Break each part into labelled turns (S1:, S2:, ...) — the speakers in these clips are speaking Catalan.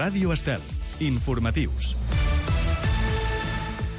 S1: Ràdio Estel. Informatius.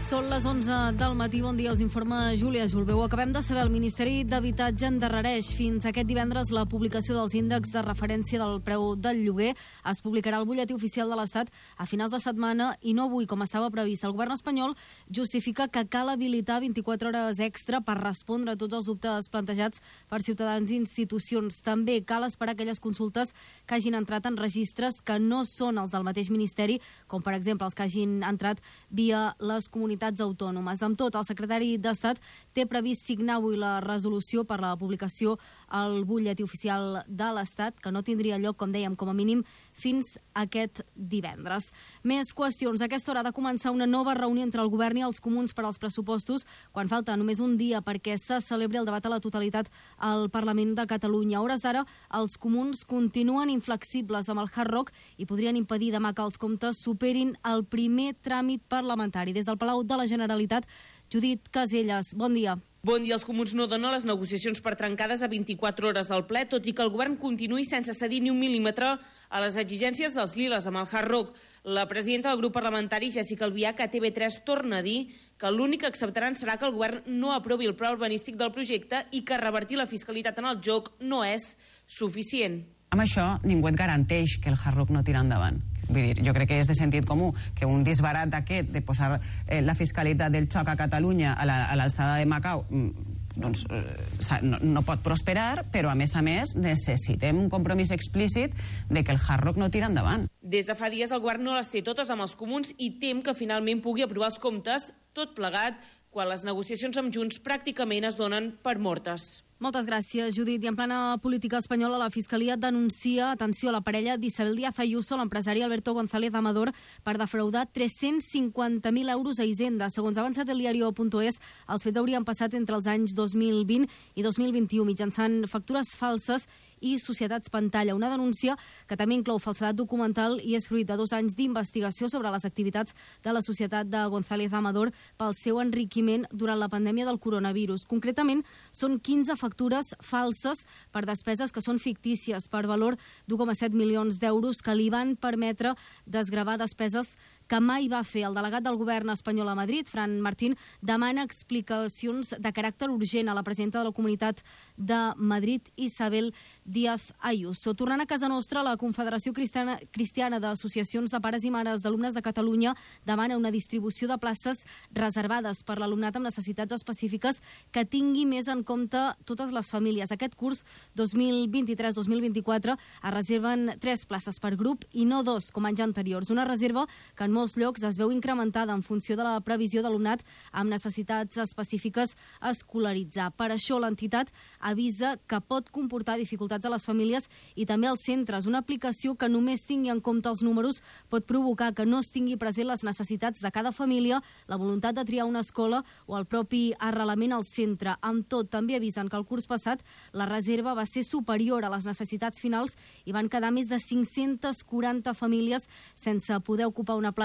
S2: Són les 11 del matí. Bon dia, us informa Júlia Julbeu. Acabem de saber, el Ministeri d'Habitatge endarrereix fins aquest divendres la publicació dels índexs de referència del preu del lloguer. Es publicarà al butlletí oficial de l'Estat a finals de setmana i no avui, com estava previst. El govern espanyol justifica que cal habilitar 24 hores extra per respondre a tots els dubtes plantejats per ciutadans i institucions. També cal esperar aquelles consultes que hagin entrat en registres que no són els del mateix Ministeri, com per exemple els que hagin entrat via les comunitats autònomes. Amb tot, el secretari d'Estat té previst signar avui la resolució per la publicació al butlletí oficial de l'Estat, que no tindria lloc, com dèiem, com a mínim fins aquest divendres. Més qüestions. A aquesta hora ha de començar una nova reunió entre el govern i els comuns per als pressupostos, quan falta només un dia perquè se celebri el debat a la totalitat al Parlament de Catalunya. A hores d'ara, els comuns continuen inflexibles amb el Hard Rock i podrien impedir demà que els comptes superin el primer tràmit parlamentari. Des del Palau de la Generalitat, Judit Caselles, bon dia.
S3: Bon dia. Els comuns no donen les negociacions per trencades a 24 hores del ple, tot i que el govern continuï sense cedir ni un mil·límetre a les exigències dels liles amb el Hard Rock. La presidenta del grup parlamentari, Jessica Albiach, a TV3 torna a dir que l'únic que acceptaran serà que el govern no aprovi el pla urbanístic del projecte i que revertir la fiscalitat en el joc no és suficient.
S4: Amb això ningú et garanteix que el Hard Rock no tira endavant. Vull dir, jo crec que és de sentit comú que un disbarat d'aquest de posar la fiscalitat del xoc a Catalunya a l'alçada de Macau doncs no pot prosperar, però a més necessitem un compromís explícit de que el Hard Rock no tira endavant.
S3: Des de fa dies el govern no les té totes amb els comuns i tem que finalment pugui aprovar els comptes, tot plegat, quan les negociacions amb Junts pràcticament es donen per mortes.
S2: Moltes gràcies, Judit. I en plana política espanyola, la Fiscalia denuncia, atenció, la parella d'Isabel Díaz Ayuso, l'empresari Alberto González Amador, per defraudar 350.000 euros a Hisenda. Segons ha avançat el diario.es, els fets haurien passat entre els anys 2020 i 2021 mitjançant factures falses i societats pantalla. Una denúncia que també inclou falsedat documental i és fruit de 2 anys d'investigació sobre les activitats de la societat de González Amador pel seu enriquiment durant la pandèmia del coronavirus. Concretament, són 15 factures falses per despeses que són fictícies per valor d'1,7 milions d'euros que li van permetre desgravar despeses que mai va fer. El delegat del govern espanyol a Madrid, Fran Martín, demana explicacions de caràcter urgent a la presidenta de la Comunitat de Madrid, Isabel Díaz Ayuso. Tornant a casa nostra, la Confederació Cristiana d'Associacions de Pares i Mares d'Alumnes de Catalunya demana una distribució de places reservades per l'alumnat amb necessitats específiques que tingui més en compte totes les famílies. Aquest curs 2023-2024 es reserven 3 places per grup i no 2, com anys anteriors. Una reserva que en molts llocs es veu incrementada en funció de la previsió d'alumnat amb necessitats específiques a escolaritzar. Per això l'entitat avisa que pot comportar dificultats a les famílies i també als centres. Una aplicació que només tingui en compte els números pot provocar que no es tingui present les necessitats de cada família, la voluntat de triar una escola o el propi arrelament al centre. Amb tot, també avisen que el curs passat la reserva va ser superior a les necessitats finals i van quedar més de 540 famílies sense poder ocupar una plaça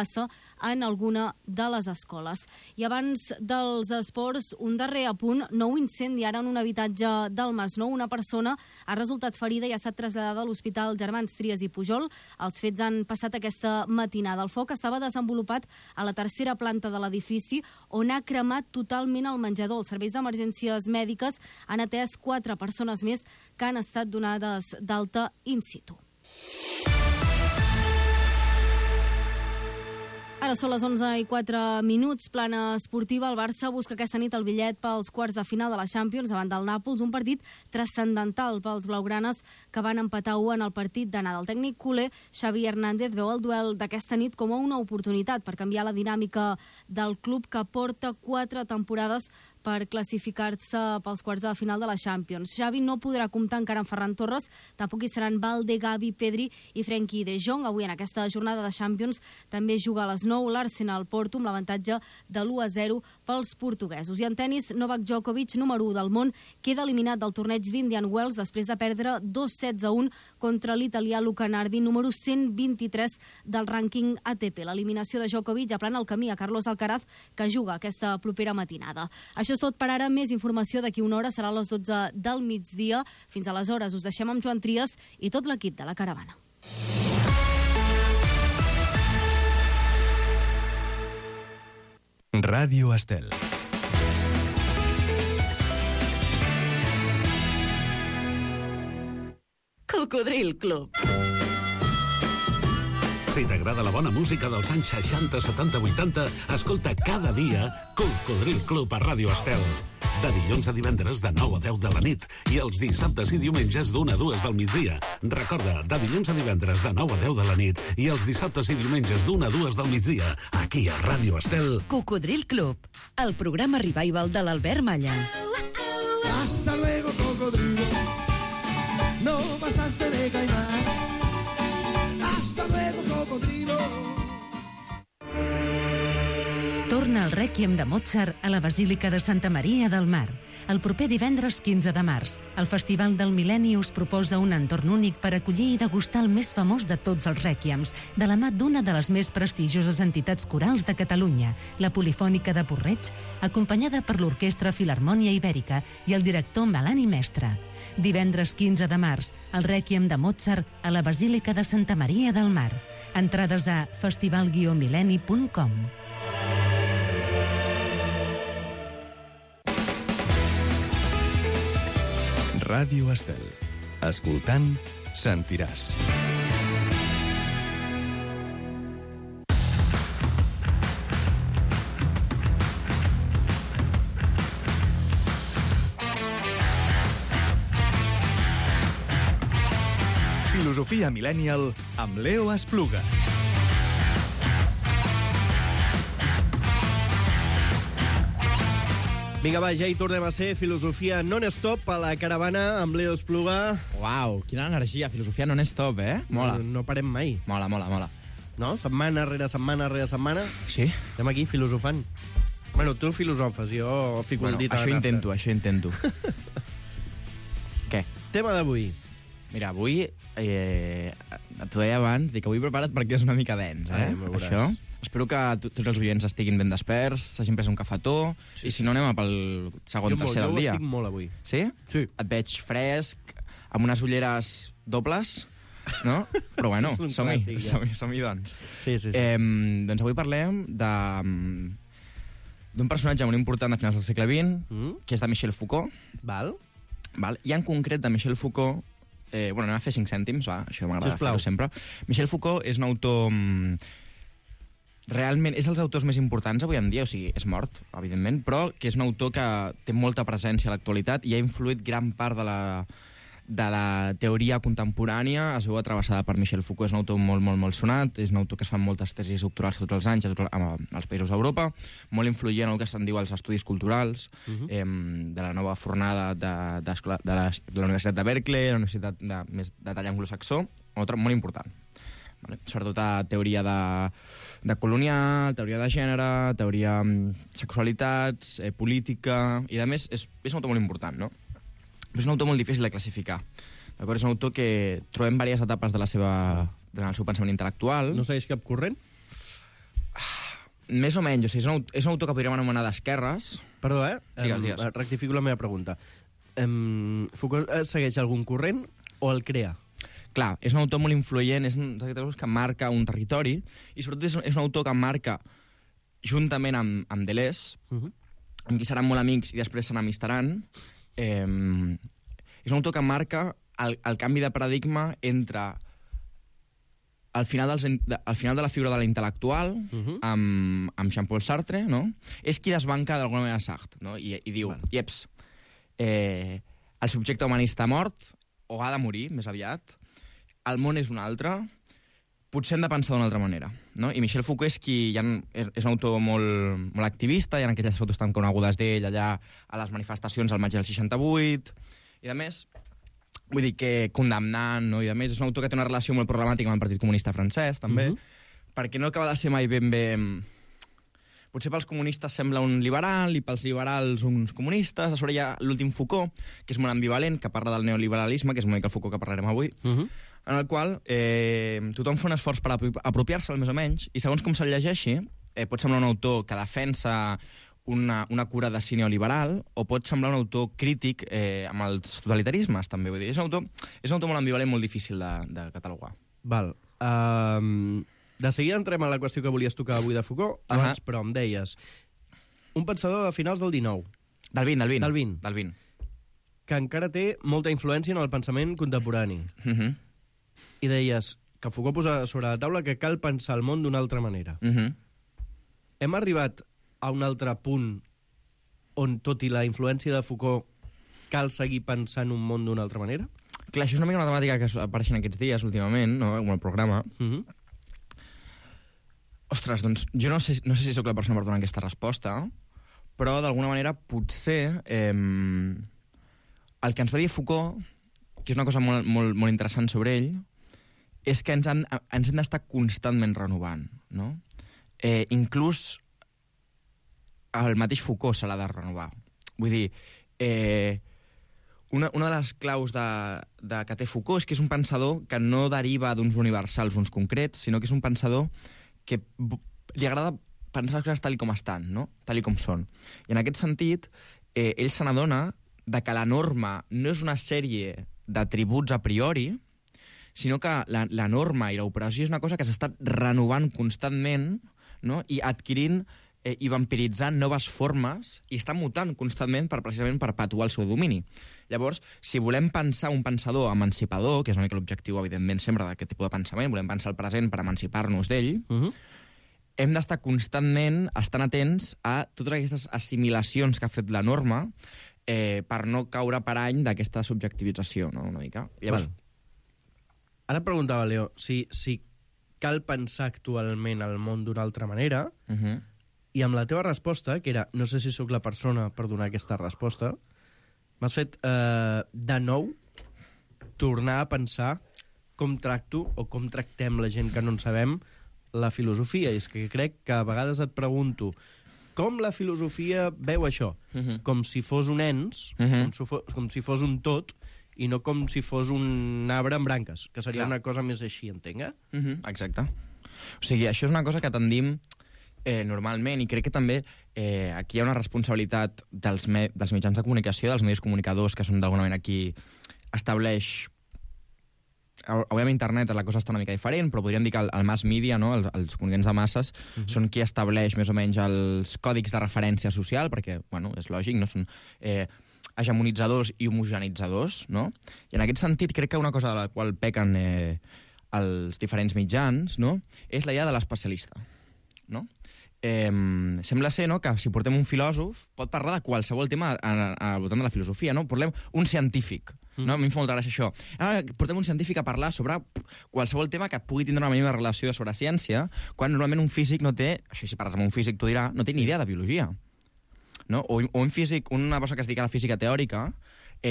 S2: en alguna de les escoles. I abans dels esports, un darrer apunt, nou incendi ara en un habitatge del Masnou. Una persona ha resultat ferida i ha estat traslladada a l'Hospital Germans Trias i Pujol. Els fets han passat aquesta matinada. El foc estava desenvolupat a la 3a planta de l'edifici, on ha cremat totalment el menjador. Els serveis d'emergències mèdiques han atès 4 persones més que han estat donades d'alta in situ. Ara són les 11:04. Plana esportiva. El Barça busca aquesta nit el bitllet pels quarts de final de la Champions davant del Nàpols, un partit transcendental pels blaugranes que van empatar 1 en el partit d'anada. El tècnic culer, Xavi Hernández, veu el duel d'aquesta nit com a una oportunitat per canviar la dinàmica del club que porta 4 temporades per classificar-se pels quarts de final de la Champions. Xavi no podrà comptar encara amb Ferran Torres, tampoc hi seran Balde, Gavi, Pedri i Frenkie de Jong. Avui en aquesta jornada de Champions també juga a les 9 l'Arsenal Porto amb l'avantatge de l'1-0 pels portuguesos. I en tenis, Novak Djokovic, número 1 del món, queda eliminat del torneig d'Indian Wells després de perdre 2-7-1 contra l'italià Luca Nardi, número 123 del rànquing ATP. L'eliminació de Djokovic aplana el camí a Carlos Alcaraz, que juga aquesta propera matinada. Això és tot per ara. Més informació d'aquí una hora, serà a les 12 del migdia. Fins aleshores us deixem amb Joan Trias i tot l'equip de La Caravana.
S1: Ràdio Estel.
S5: Cocodril Club.
S6: Si t'agrada la bona música dels anys 60, 70, 80, escolta cada dia Cocodril Club a Ràdio Estel. De dilluns a divendres de 9 a 10 de la nit i els dissabtes i diumenges d'1 a 2 del migdia. Recorda, de dilluns a divendres de 9 a 10 de la nit i els dissabtes i diumenges d'1 a 2 del migdia, aquí a Ràdio Estel.
S5: Cocodril Club, el programa revival de l'Albert Malla.
S7: Hasta luego, cocodrilo. No pasaste de caimán. Hasta luego, cocodrilo.
S5: Torna el Rèquiem de Mozart a la Basílica de Santa Maria del Mar. El proper divendres 15 de març, el Festival del Mil·lenni us proposa un entorn únic per acollir i degustar el més famós de tots els rèquiems, de la mà d'una de les més prestigioses entitats corals de Catalunya, la Polifònica de Porreig, acompanyada per l'Orquestra Filharmònia Ibèrica i el director Melani Mestre. Divendres 15 de març, el Rèquiem de Mozart a la Basílica de Santa Maria del Mar. Entrades a festival-millenni.com.
S1: Ràdio Estel. Escoltant, sentiràs. Filosofia Millennial amb Leo Espluga.
S8: Vinga, va, ja hi tornem a ser. Filosofia non-stop a la caravana amb Leo Espluga.
S9: Uau, quina energia. Filosofia non-stop, Mola.
S8: No parem mai.
S9: Mola.
S8: No? Setmana rere setmana rere setmana.
S9: Sí?
S8: Estem aquí filosofant. Bueno, tu filosofes, jo fico el dit a la nafta.
S9: Això intento. Què?
S8: Tema d'avui.
S9: Mira, avui, t'ho deia abans, dic, avui prepara't perquè és una mica dens, això. Espero que tots els oients estiguin ben desperts, s'hagin pres un cafetó, sí, i si no anem pel segon, tercer del dia.
S8: Jo estic molt avui.
S9: Sí?
S8: Sí.
S9: Et veig fresc, amb unes ulleres dobles, no? Però bueno, som-hi, doncs.
S8: Sí.
S9: Doncs avui parlem d'un personatge molt important de finals del segle XX, que és de Michel Foucault.
S8: Val.
S9: I en concret de Michel Foucault, anem a fer 5 cèntims, va, això m'agrada fer-ho sempre. Michel Foucault és un autor... Realment, és dels autors més importants avui en dia, o sigui, és mort, evidentment, però que és un autor que té molta presència a l'actualitat i ha influït gran part de la teoria contemporània, es veu travessada per Michel Foucault. És un autor molt sonat, és un autor que es fan moltes tesis doctorals tots els anys als països d'Europa, molt influent en el que se'n diu els estudis culturals, de la nova fornada de la Universitat de Berkeley, la Universitat de tall anglosaxó, un autor molt important. Sobretot a teoria de colonial, teoria de gènere, teoria sexualitats, política, i a més és un autor molt important, no? És un autor molt difícil de classificar. D'acord? És un autor que trobem diverses etapes del seu pensament intel·lectual.
S8: No segueix cap corrent?
S9: Més o menys, o sigui, és un autor que podríem anomenar d'esquerres.
S8: Perdó,
S9: Digues.
S8: Rectifico la meva pregunta. Foucault segueix algun corrent o el crea?
S9: Clar, és un autor molt influent, és un autor que marca un territori, i sobretot és un autor que marca, juntament amb Deleuze, amb qui seran molt amics i després s'enamistaran, és un autor que marca el canvi de paradigma entre al final de la figura de l'intel·lectual, amb Jean-Paul Sartre, no? És qui desbanca d'alguna manera Sartre, no? I diu, ieps, el subjecte humanista ha mort, o ha de morir, més aviat, el món és un altre, potser hem de pensar d'una altra manera, no? I Michel Foucault és un autor molt activista, hi ha aquelles fotos tan conegudes d'ell allà a les manifestacions al maig del 68, i a més, vull dir que condemnant, no? I a més és un autor que té una relació molt problemàtica amb el Partit Comunista francès, també, perquè no acaba de ser mai ben bé... Potser pels comunistes sembla un liberal i pels liberals uns comunistes. A sobre hi ha l'últim Foucault, que és molt ambivalent, que parla del neoliberalisme, que és una mica el Foucault que parlarem avui, en el qual tothom fa un esforç per apropiar-se'l, més o menys, i segons com se'l llegeixi, pot semblar un autor que defensa una cura de sí neoliberal, o pot semblar un autor crític amb els totalitarismes, també. Vull dir, és un autor molt ambivalent, molt difícil de catalogar.
S8: Val. De seguida entrem a la qüestió que volies tocar avui de Foucault, abans, però em deies, un pensador de finals del 19,
S9: Del 20.
S8: Del 20. que encara té molta influència en el pensament contemporani. I deies que Foucault posa sobre la taula que cal pensar el món d'una altra manera. Hem arribat a un altre punt on, tot i la influència de Foucault, cal seguir pensant un món d'una altra manera?
S9: Clar, això és una mica una temàtica que apareix aquests dies, últimament, no?, en el programa. Ostres, doncs, jo no sé si sóc la persona per donar aquesta resposta, però d'alguna manera potser el que ens va dir Foucault, que és una cosa molt, molt, molt interessant sobre ell, és que ens hem d'estar constantment renovant, no? Inclús el mateix Foucault se l'ha de renovar. Vull dir, una de les claus que té Foucault és que és un pensador que no deriva d'uns universals, uns concrets, sinó que és un pensador que li agrada pensar les coses tal com estan, no? Tal com són. I en aquest sentit, ell se n'adona que la norma no és una sèrie d'atributs a priori, sinó que la norma i l'operació és una cosa que s'està renovant constantment, no?, i adquirint i vampiritzant noves formes i està mutant constantment per precisament perpetuar el seu domini. Llavors, si volem pensar un pensador emancipador, que és una mica l'objectiu, evidentment, sempre d'aquest tipus de pensament, volem pensar el present per emancipar-nos d'ell, hem d'estar constantment estant atents a totes aquestes assimilacions que ha fet la norma per no caure parany d'aquesta subjectivització, no?, una mica. Llavors,
S8: ara et preguntava, Leo, si cal pensar actualment el món d'una altra manera, i amb la teva resposta, que era, no sé si sóc la persona per donar aquesta resposta, m'has fet de nou tornar a pensar com tracto o com tractem la gent que no en sabem la filosofia. I és que crec que a vegades et pregunto com la filosofia veu això, com si fos un ens, com si fos un tot, i no com si fos un arbre amb branques, que seria una cosa més així, entenc,
S9: Exacte. O sigui, això és una cosa que tendim normalment, i crec que també aquí hi ha una responsabilitat dels mitjans de comunicació, dels medis comunicadors, que són d'alguna manera qui estableix... Avui amb internet la cosa està una mica diferent, però podríem dir que el mass media, no?, els comunicants de masses, són qui estableix més o menys els còdics de referència social, perquè, bueno, és lògic, no?, són hegemonitzadors i homogenitzadors, no? I en aquest sentit crec que una cosa de la qual pequen els diferents mitjans, no?, és la idea de l'especialista, no? Sembla ser, no?, que si portem un filòsof pot parlar de qualsevol tema al voltant de la filosofia, no? Portem un científic, no? A mi em fa molta gràcia això. Ara portem un científic a parlar sobre qualsevol tema que pugui tindre una mínima relació sobre ciència, quan normalment un físic no té, això si parles amb un físic t'ho dirà, no té ni idea de biologia, no? O un físic, una persona que es dedica a la física teòrica,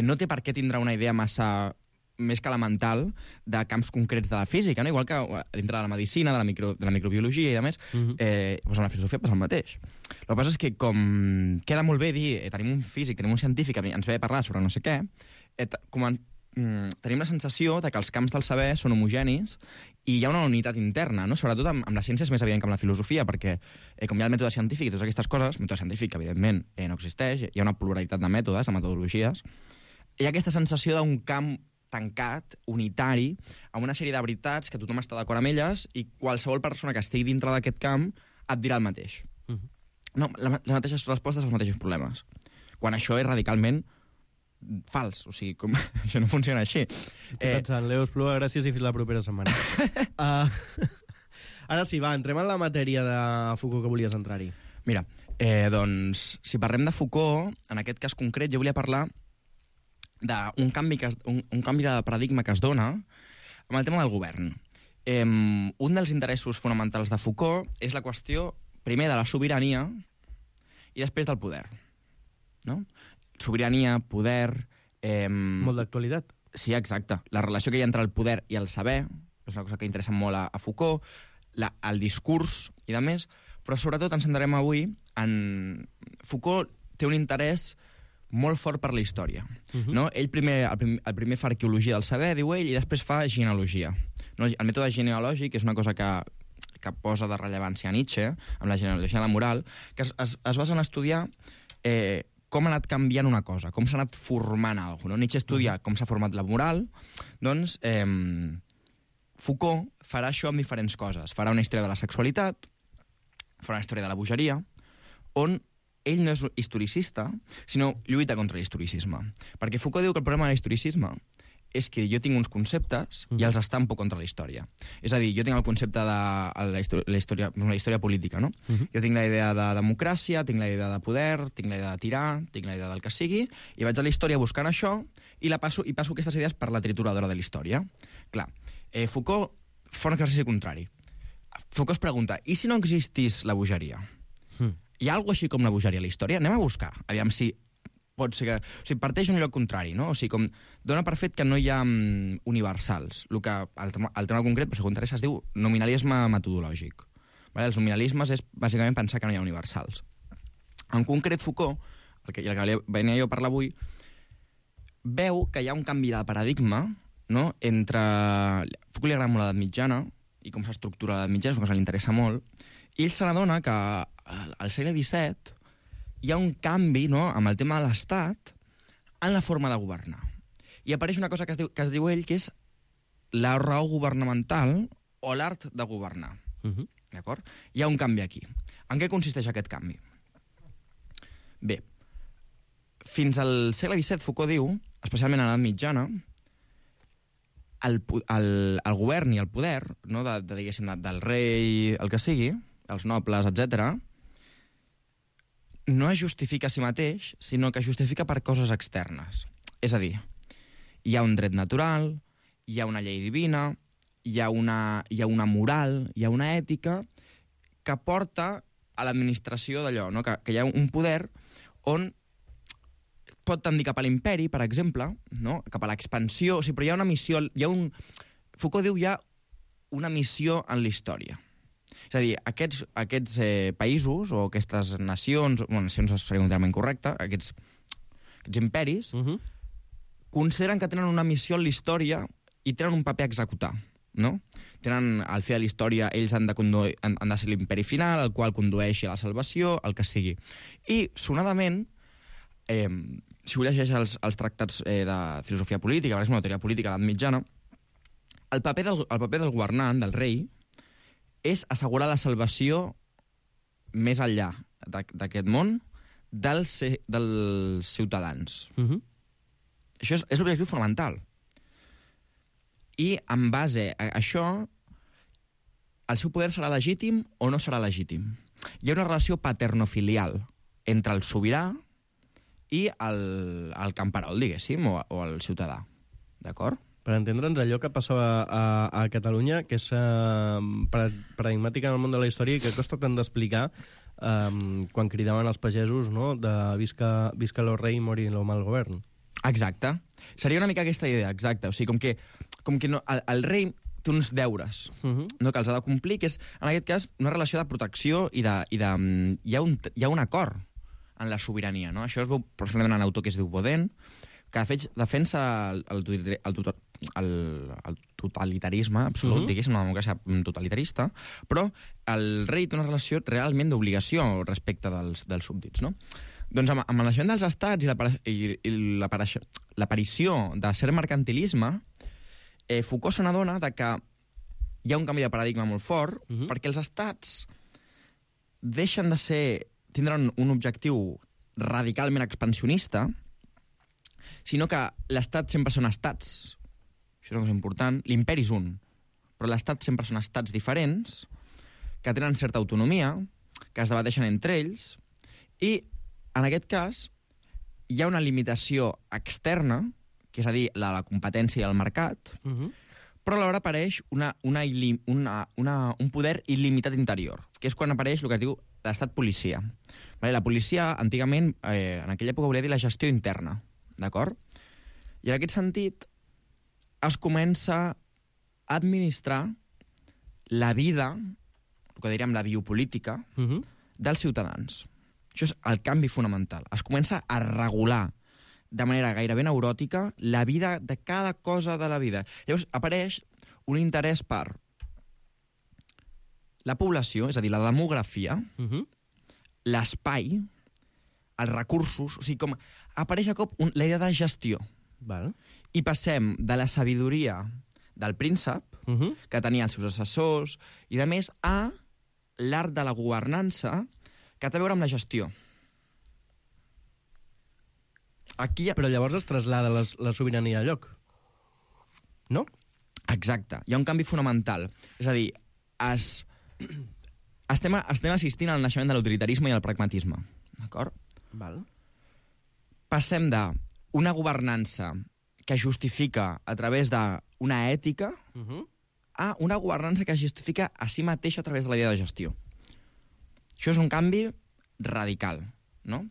S9: no té per què tindre una idea massa més que elemental de camps concrets de la física, no? Igual que dintre de la medicina, de la microbiologia i a més, doncs en la filosofia passa el mateix. El que passa és que com queda molt bé dir tenim un físic, tenim un científic que ens ve a parlar sobre no sé què, tenim la sensació de que els camps del saber són homogenis i hi ha una unitat interna, no? Sobretot amb la ciència és més evident que amb la filosofia, perquè com hi ha el mètode científic i totes aquestes coses, el mètode científic, evidentment, no existeix, hi ha una pluralitat de mètodes, de metodologies, hi ha aquesta sensació d'un camp tancat, unitari, amb una sèrie de veritats que tothom està d'acord amb elles i qualsevol persona que estigui dintre d'aquest camp et dirà el mateix. No, les mateixes respostes als mateixos problemes. Quan això és radicalment fals. O sigui, això no funciona així.
S8: Estic pensant, Leo Espluga, gràcies i fins la propera setmana. Ara sí, va, entrem en la matèria de Foucault que volies entrar-hi.
S9: Mira, doncs, si parlem de Foucault, en aquest cas concret, jo volia parlar d'un canvi de paradigma que es dona amb el tema del govern. Un dels interessos fonamentals de Foucault és la qüestió, primer, de la sobirania i després del poder. No? Sobirania, poder...
S8: Molt d'actualitat.
S9: Sí, exacte. La relació que hi ha entre el poder i el saber és una cosa que interessa molt a Foucault, el discurs i de més, però sobretot ens centrarem avui en... Foucault té un interès molt fort per la història. No? Ell el primer fa arqueologia del saber, diu ell, i després fa genealogia. No? El mètode genealògic és una cosa que posa de rellevància a Nietzsche, amb la genealogia de la moral, que es basa en estudiar com ha anat canviant una cosa, com s'ha anat formant alguna cosa. No? Nietzsche estudia com s'ha format la moral, doncs Foucault farà això amb diferents coses. Farà una història de la sexualitat, farà una història de la bogeria, on ell no és historicista, sinó lluita contra l'historicisme. Perquè Foucault diu que el problema de l'historicisme és que jo tinc uns conceptes i els estampo contra la història. És a dir, jo tinc el concepte de la història política, no? Jo tinc la idea de democràcia, tinc la idea de poder, tinc la idea de tirar, tinc la idea del que sigui, i vaig a la història buscant això i passo aquestes idees per la trituradora de la història. Clar, Foucault fa un exercici contrari. Foucault es pregunta, i si no existís la bogeria? Hi ha alguna cosa així com la bogeria a la història? Anem a buscar, aviam si pot ser que... O sigui, parteix d'un lloc contrari, no? O sigui, com dona per fet que no hi ha universals. El tema concret, per si t'interessa, es diu nominalisme metodològic. Vale? Els nominalismes és bàsicament pensar que no hi ha universals. En concret, Foucault, el que venia jo a parlar avui, veu que hi ha un canvi de paradigma, no? Entre... Foucault li agrada molt l'edat mitjana i com s'estructura l'edat mitjana, és una cosa que li interessa molt, i ell se n'adona que al segle XVII hi ha un canvi, no?, amb el tema de l'Estat en la forma de governar. I apareix una cosa que es diu ell, que és la raó governamental o l'art de governar. D'acord? Hi ha un canvi aquí. En què consisteix aquest canvi? Bé, fins al segle XVII, Foucault diu, especialment a l'edat mitjana, el govern i el poder, no, diguéssim, del rei, el que sigui, els nobles, etc., no es justifica a si mateix, sinó que es justifica per coses externes. És a dir, hi ha un dret natural, hi ha una llei divina, hi ha una moral, hi ha una ètica que porta a l'administració d'allò, no? Que hi ha un poder on pot tendir cap a l'imperi, per exemple, no? Cap a l'expansió, o sigui, però hi ha una missió... Foucault diu hi ha una missió en la història. És a dir, aquests països o aquestes nacions, nacions seria un terme incorrecte, aquests imperis, consideren que tenen una missió en la història i tenen un paper a executar, no? Tenen, al fi de la història, ells han de ser l'imperi final, el qual condueixi a la salvació, el que sigui. I, sonadament, si ho llegeix els tractats de filosofia política, per exemple, la teoria política a l'edat mitjana, el paper del governant, del rei, és assegurar la salvació més enllà d'aquest món dels ciutadans. Això és l'objectiu fonamental. I en base a això, el seu poder serà legítim o no serà legítim. Hi ha una relació paternofilial entre el sobirà i el camperol, diguéssim, o el ciutadà. D'acord?
S8: Per entendre'ns, allò que passava a Catalunya, que és paradigmàtic en el món de la història i que costa tant d'explicar quan cridaven els pagesos, no?, de visca lo rei i mori lo mal govern.
S9: Exacte. Seria una mica aquesta idea, exacte. O sigui, com que no, el rei té uns deures no, que els ha de complir, que és, en aquest cas, una relació de protecció i hi ha un acord en la sobirania, no? Això es veu perfectament en l'autor que es diu Baudin, que de fet defensa el totalitarisme absolut, diguéssim, una democràcia totalitarista, però el rei té una relació realment d'obligació respecte dels súbdits, no? Doncs amb el naixement dels estats i l'aparició de cert mercantilisme, Foucault se n'adona que hi ha un canvi de paradigma molt fort, perquè els estats deixen de tindran un objectiu radicalment expansionista, sinó que l'estat sempre són estats. Això és una cosa important. L'imperi és un, però l'estat sempre són estats diferents, que tenen certa autonomia, que es debateixen entre ells, i, en aquest cas, hi ha una limitació externa, que és a dir, la competència i el mercat, però alhora apareix un poder il·limitat interior, que és quan apareix el que es diu l'estat policia. La policia, antigament, en aquella època volia dir la gestió interna, d'acord? I en aquest sentit es comença a administrar la vida, el que diríem la biopolítica, dels ciutadans. Això és el canvi fonamental. Es comença a regular de manera gairebé neuròtica la vida de cada cosa de la vida. Llavors apareix un interès per la població, és a dir, la demografia, l'espai, els recursos, o sigui, com apareix a cop la idea de gestió.
S8: Val.
S9: I passem de la sabidoria del príncep, que tenia els seus assessors, i de més, a l'art de la governança, que té a veure amb la gestió. aquí...
S8: Però llavors es traslada la sobirania a lloc, no?
S9: Exacte, hi ha un canvi fonamental. És a dir, estem assistint al naixement de l'utilitarisme i al pragmatisme, d'acord?
S8: Val.
S9: Passem d'una governança que es justifica a través d'una ètica a una governança que es justifica a si mateixa a través de la idea de gestió. Això és un canvi radical, no?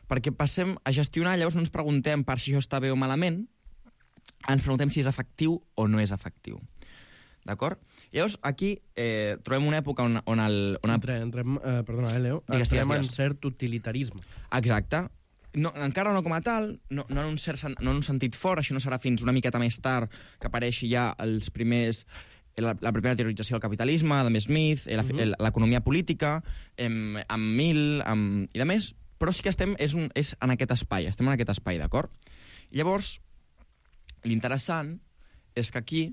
S9: Perquè passem a gestionar, llavors no ens preguntem per si això està bé o malament, ens preguntem si és efectiu o no és efectiu. D'acord? Llavors, aquí trobem una època on el...
S8: Perdona, Leo. Entrem en cert utilitarisme.
S9: Exacte. No, encara no com a tal, no en un sentit fort, això no serà fins una miqueta més tard que apareixi ja els primers... la primera teorització del capitalisme, Adam Smith, l'economia política, amb Mill i de més, però sí que és en aquest espai, estem en aquest espai, d'acord? Llavors, l'interessant és que aquí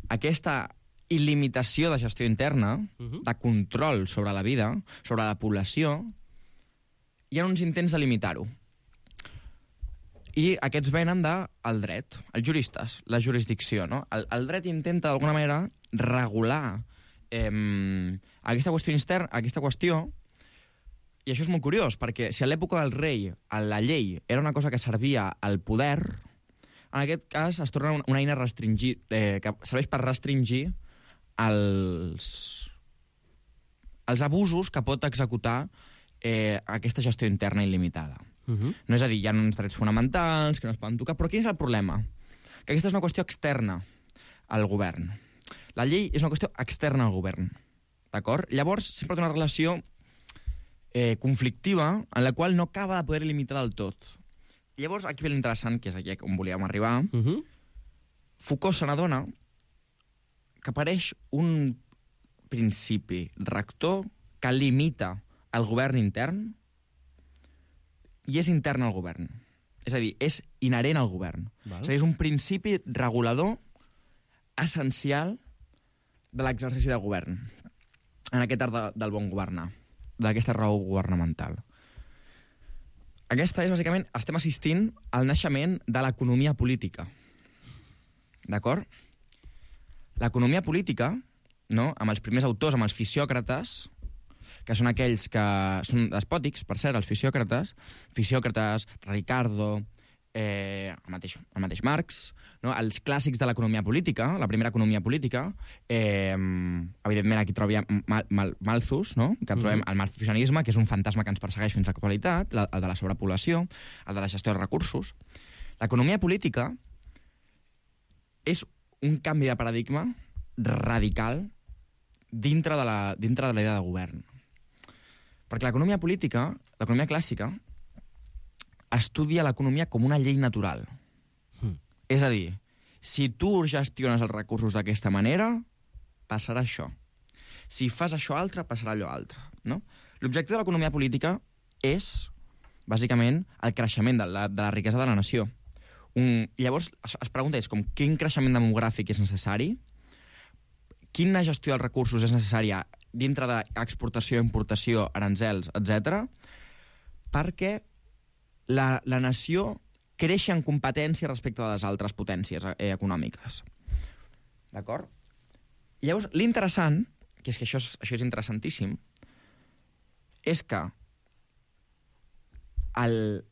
S9: aquesta il·limitació de gestió interna, de control sobre la vida, sobre la població, hi ha uns intents de limitar-ho. I aquests venen del dret, els juristes, la jurisdicció, no? El dret intenta, d'alguna manera, regular aquesta qüestió, i això és molt curiós, perquè si a l'època del rei la llei era una cosa que servia al poder, en aquest cas es torna una eina que serveix per restringir els abusos que pot executar aquesta gestió interna il·limitada. No és a dir, hi ha uns drets fonamentals que no es poden tocar, però quin és el problema? Que aquesta és una qüestió externa al govern. La llei és una qüestió externa al govern, d'acord? Llavors, sempre té una relació conflictiva en la qual no acaba de poder limitar del tot. Llavors, aquí ve l'interessant, que és aquí on volíem arribar. Foucault se n'adona que apareix un principi rector que limita el govern intern i és intern al govern. És a dir, és inherent al govern. Val. És a dir, és un principi regulador essencial de l'exercici del govern, en aquest art del bon governar, d'aquesta raó governamental. Aquesta és, bàsicament, estem assistint al naixement de l'economia política. D'acord? L'economia política, no? Amb els primers autors, amb els fisiòcrates, que són aquells que són despòtics, per cert, els fisiòcrates, Ricardo, el mateix Marx, no? Els clàssics de l'economia política, la primera economia política, evidentment aquí trobem Malthus, no? Que trobem el malthusianisme, que és un fantasma que ens persegueix fins a l'actualitat, el de la sobrepoblació, el de la gestió dels recursos. L'economia política és un canvi de paradigma radical dintre de la idea de govern. Perquè l'economia política, l'economia clàssica, estudia l'economia com una llei natural. És a dir, si tu gestiones els recursos d'aquesta manera, passarà això. Si fas això altre, passarà allò altre. No? L'objectiu de l'economia política és, bàsicament, el creixement de la riquesa de la nació. Llavors, es pregunta com quin creixement demogràfic és necessari, quina gestió dels recursos és necessària dintre d'exportació, importació, aranzels, etc., perquè la nació creixi en competència respecte de les altres potències econòmiques. D'acord? Llavors, l'interessant, que és que això és interessantíssim, és que el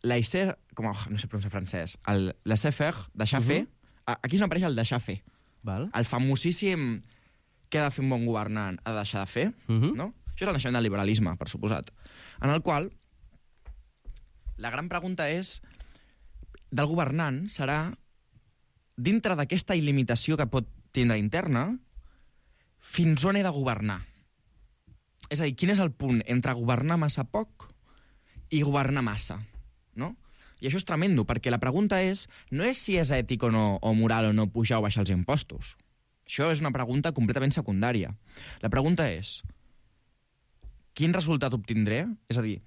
S9: laissez, no sé pronunciar francès, el laissez-faire, deixar fer, aquí és on apareix el deixar fer. El famosíssim què ha de fer un bon governant, ha de deixar de fer, no? Això és el naixement del liberalisme, per suposat, en el qual la gran pregunta és, del governant serà, dintre d'aquesta il·limitació que pot tindre interna, fins on he de governar? És a dir, quin és el punt entre governar massa poc i governar massa, no? I això és tremendo, perquè la pregunta no és si és ètic o no, o moral o no pujar o baixar els impostos. Això és una pregunta completament secundària. La pregunta és, quin resultat obtindré? És a dir,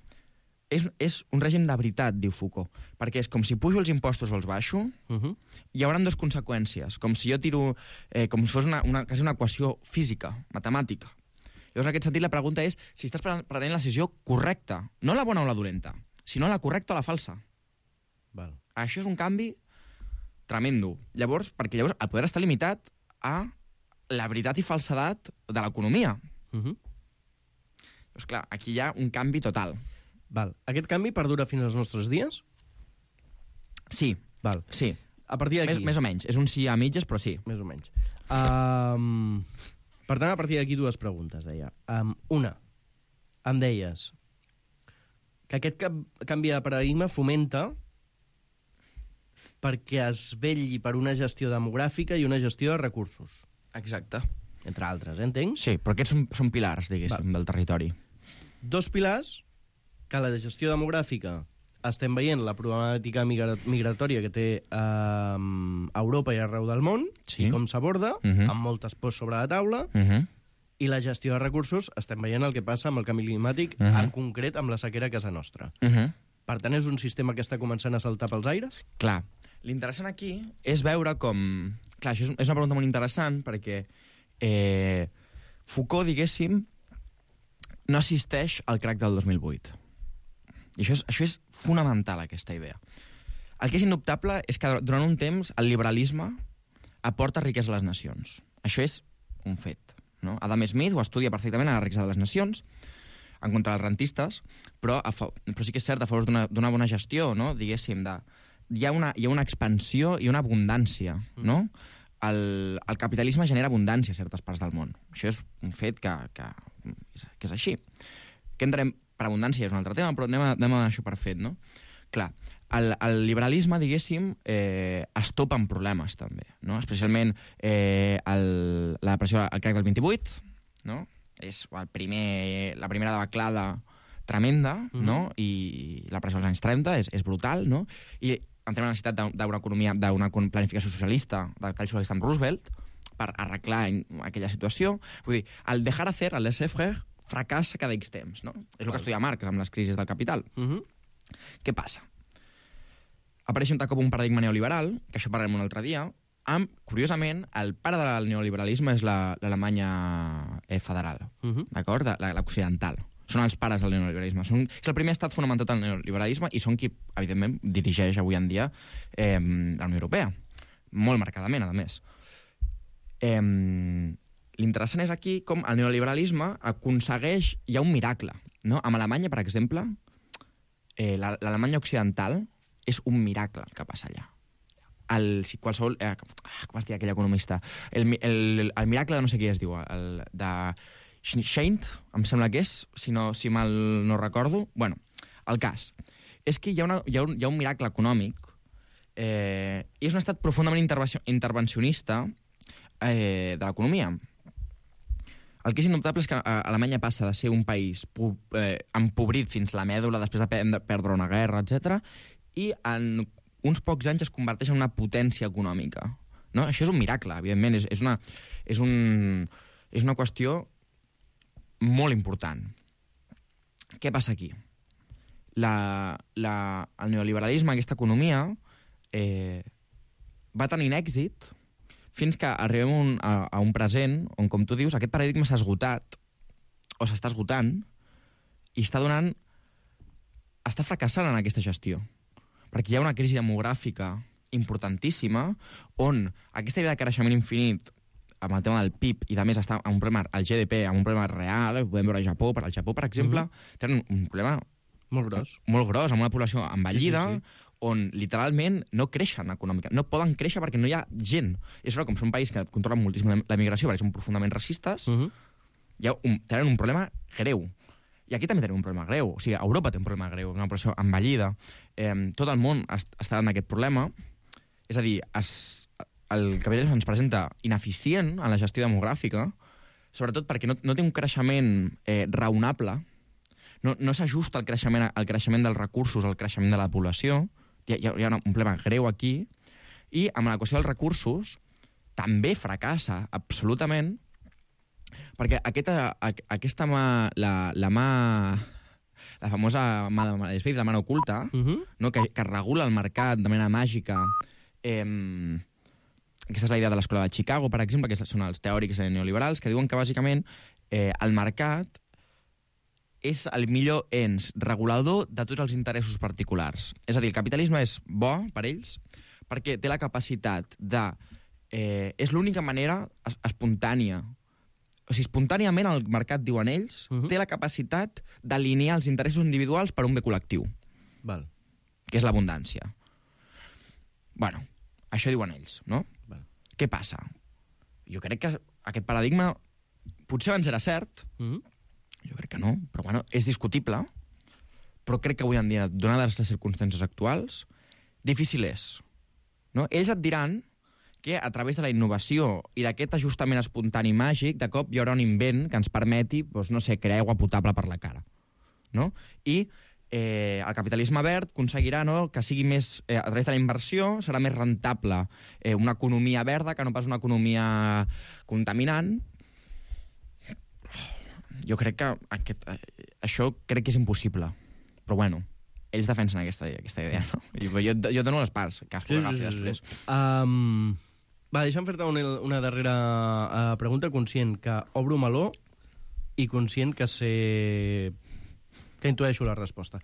S9: és un règim de veritat, diu Foucault, perquè és com si pujo els impostos o els baixo, hi haurà dues conseqüències, com si jo tiro, com si fos quasi una equació física, matemàtica. Llavors, en aquest sentit, la pregunta és si estàs prenent la decisió correcta, no la bona o la dolenta, sinó la correcta o la falsa.
S8: Val.
S9: Això és un canvi tremendo. Llavors, perquè llavors el poder està limitat a la veritat i falsedat de l'economia. Doncs clar, aquí hi ha un canvi total.
S8: Val. Aquest canvi perdura fins als nostres dies?
S9: Sí.
S8: Val.
S9: Sí.
S8: A partir d'aquí...
S9: Més o menys. És un sí a mitges, però sí.
S8: Més o menys. Per tant, a partir d'aquí dues preguntes, deia. Una, em deies que aquest canvi de paradigma fomenta perquè es vetlli per una gestió demogràfica i una gestió de recursos.
S9: Exacte.
S8: Entre altres, entenc?
S9: Sí, però aquests són pilars, diguéssim, del territori.
S8: Dos pilars que la gestió demogràfica estem veient la problemàtica migratòria que té Europa i arreu del món,
S9: sí.
S8: I com s'aborda, amb moltes pors sobre la taula, i la gestió de recursos estem veient el que passa amb el canvi climàtic, en concret amb la sequera a casa nostra. Per tant, és un sistema que està començant a saltar pels aires?
S9: Clar. L'interessant aquí és veure com... Clar, això és una pregunta molt interessant perquè Foucault, diguéssim, no assisteix al crac del 2008. I això és fonamental, aquesta idea. El que és indubtable és que durant un temps el liberalisme aporta riquesa a les nacions. Això és un fet. No? Adam Smith ho estudia perfectament a la riquesa de les nacions, en contra dels rentistes, però sí que és cert, a favor d'una bona gestió, no? Diguéssim, hi ha una expansió i una abundància, no? El capitalisme genera abundància a certes parts del món. Això és un fet que és així. Què entenem per abundància? És un altre tema, però anem a això per fet, no? Clar, el liberalisme, diguéssim, es topa amb problemes, també, no? Especialment la depressió, el crac del 28, no? És la primera debaclada tremenda, no? I la pressió dels anys 30 és brutal, no? I entrem a la necessitat d'una economia, d'una planificació socialista, del tall socialista amb Roosevelt, per arreglar aquella situació. Vull dir, el dejar hacer, el laissez-faire, fracassa cada X temps, no? És el que estudia Marx amb les crisis del capital. Què passa? Apareix un cop un paradigma neoliberal, que això parlarem un altre dia, amb, curiosament, el pare del neoliberalisme és l'Alemanya federal, d'acord? L'occidental. Són els pares del neoliberalisme. És el primer estat fonamentat al neoliberalisme i són qui, evidentment, dirigeix avui en dia la Unió Europea. Molt marcadament, a més. L'interessant és aquí com el neoliberalisme aconsegueix... Hi ha un miracle, no? Amb Alemanya, per exemple, l'Alemanya occidental és un miracle el que passa allà. Qualsevol... com es diu aquell economista? El miracle de no sé qui es diu, de Scheint, em sembla que és, si mal no recordo. Bueno, el cas és que hi ha un miracle econòmic i és un estat profundament intervencionista de l'economia. El que és indubtable és que Alemanya passa de ser un país empobrit fins la mèdula després de perdre una guerra, etc. I en uns pocs anys es converteix en una potència econòmica. No? Això és un miracle, evidentment. És una qüestió molt important. Què passa aquí? El neoliberalisme, aquesta economia, va tenint èxit fins que arribem a un present on, com tu dius, aquest paradigma s'ha esgotat, o s'està esgotant, i està fracassant en aquesta gestió. Perquè hi ha una crisi demogràfica importantíssima, on aquesta idea de creixement infinit, amb el tema del PIB, i a més està amb un problema, el GDP, amb un problema real, podem veure al Japó, per exemple, tenen un problema
S8: molt
S9: gros, amb una població envellida, on literalment no creixen econòmicament, no poden créixer perquè no hi ha gent. És com són un país que controlen moltíssim la migració perquè són profundament racistes, tenen un problema greu. I aquí també tenim un problema greu. O sigui, Europa té un problema greu, una població envellida. Tot el món està en aquest problema. És a dir, el capitalisme ens presenta ineficient en la gestió demogràfica, sobretot perquè no té un creixement raonable, no s'ajusta al creixement dels recursos, al creixement de la població. Hi ha un problema greu aquí. I amb la qüestió dels recursos també fracassa absolutament, perquè aquesta mà, la famosa mà de Smith, la mà oculta, no? que regula el mercat de manera màgica. Aquesta és la idea de l'escola de Chicago, per exemple, que són els teòrics neoliberals, que diuen que bàsicament el mercat és el millor ens regulador de tots els interessos particulars. És a dir, el capitalisme és bo per ells perquè té la capacitat de... és l'única manera espontània. O sigui, espontàniament el mercat, diuen ells, té la capacitat d'alinear els interessos individuals per un bé col·lectiu.
S8: Val.
S9: Que és l'abundància. Bueno, això diuen ells, no?
S8: Val.
S9: Què passa? Jo crec que aquest paradigma potser abans era cert, jo crec que no, però bueno, és discutible, però crec que avui en dia, donades les circumstàncies actuals, difícil és. No? Ells et diran que a través de la innovació i d'aquest ajustament espontani màgic, de cop hi haurà un invent que ens permeti, doncs, no sé, crear aigua potable per la cara. No? I el capitalisme verd aconseguirà, no, que sigui més, a través de la inversió, serà més rentable una economia verda que no pas una economia contaminant. Jo crec que això crec que és impossible. Però bueno, ells defensen aquesta idea, no? Jo dono les parts, que es agafi després.
S8: Va, deixa'm fer-te una darrera pregunta, conscient que obro meló i conscient que intueixo la resposta.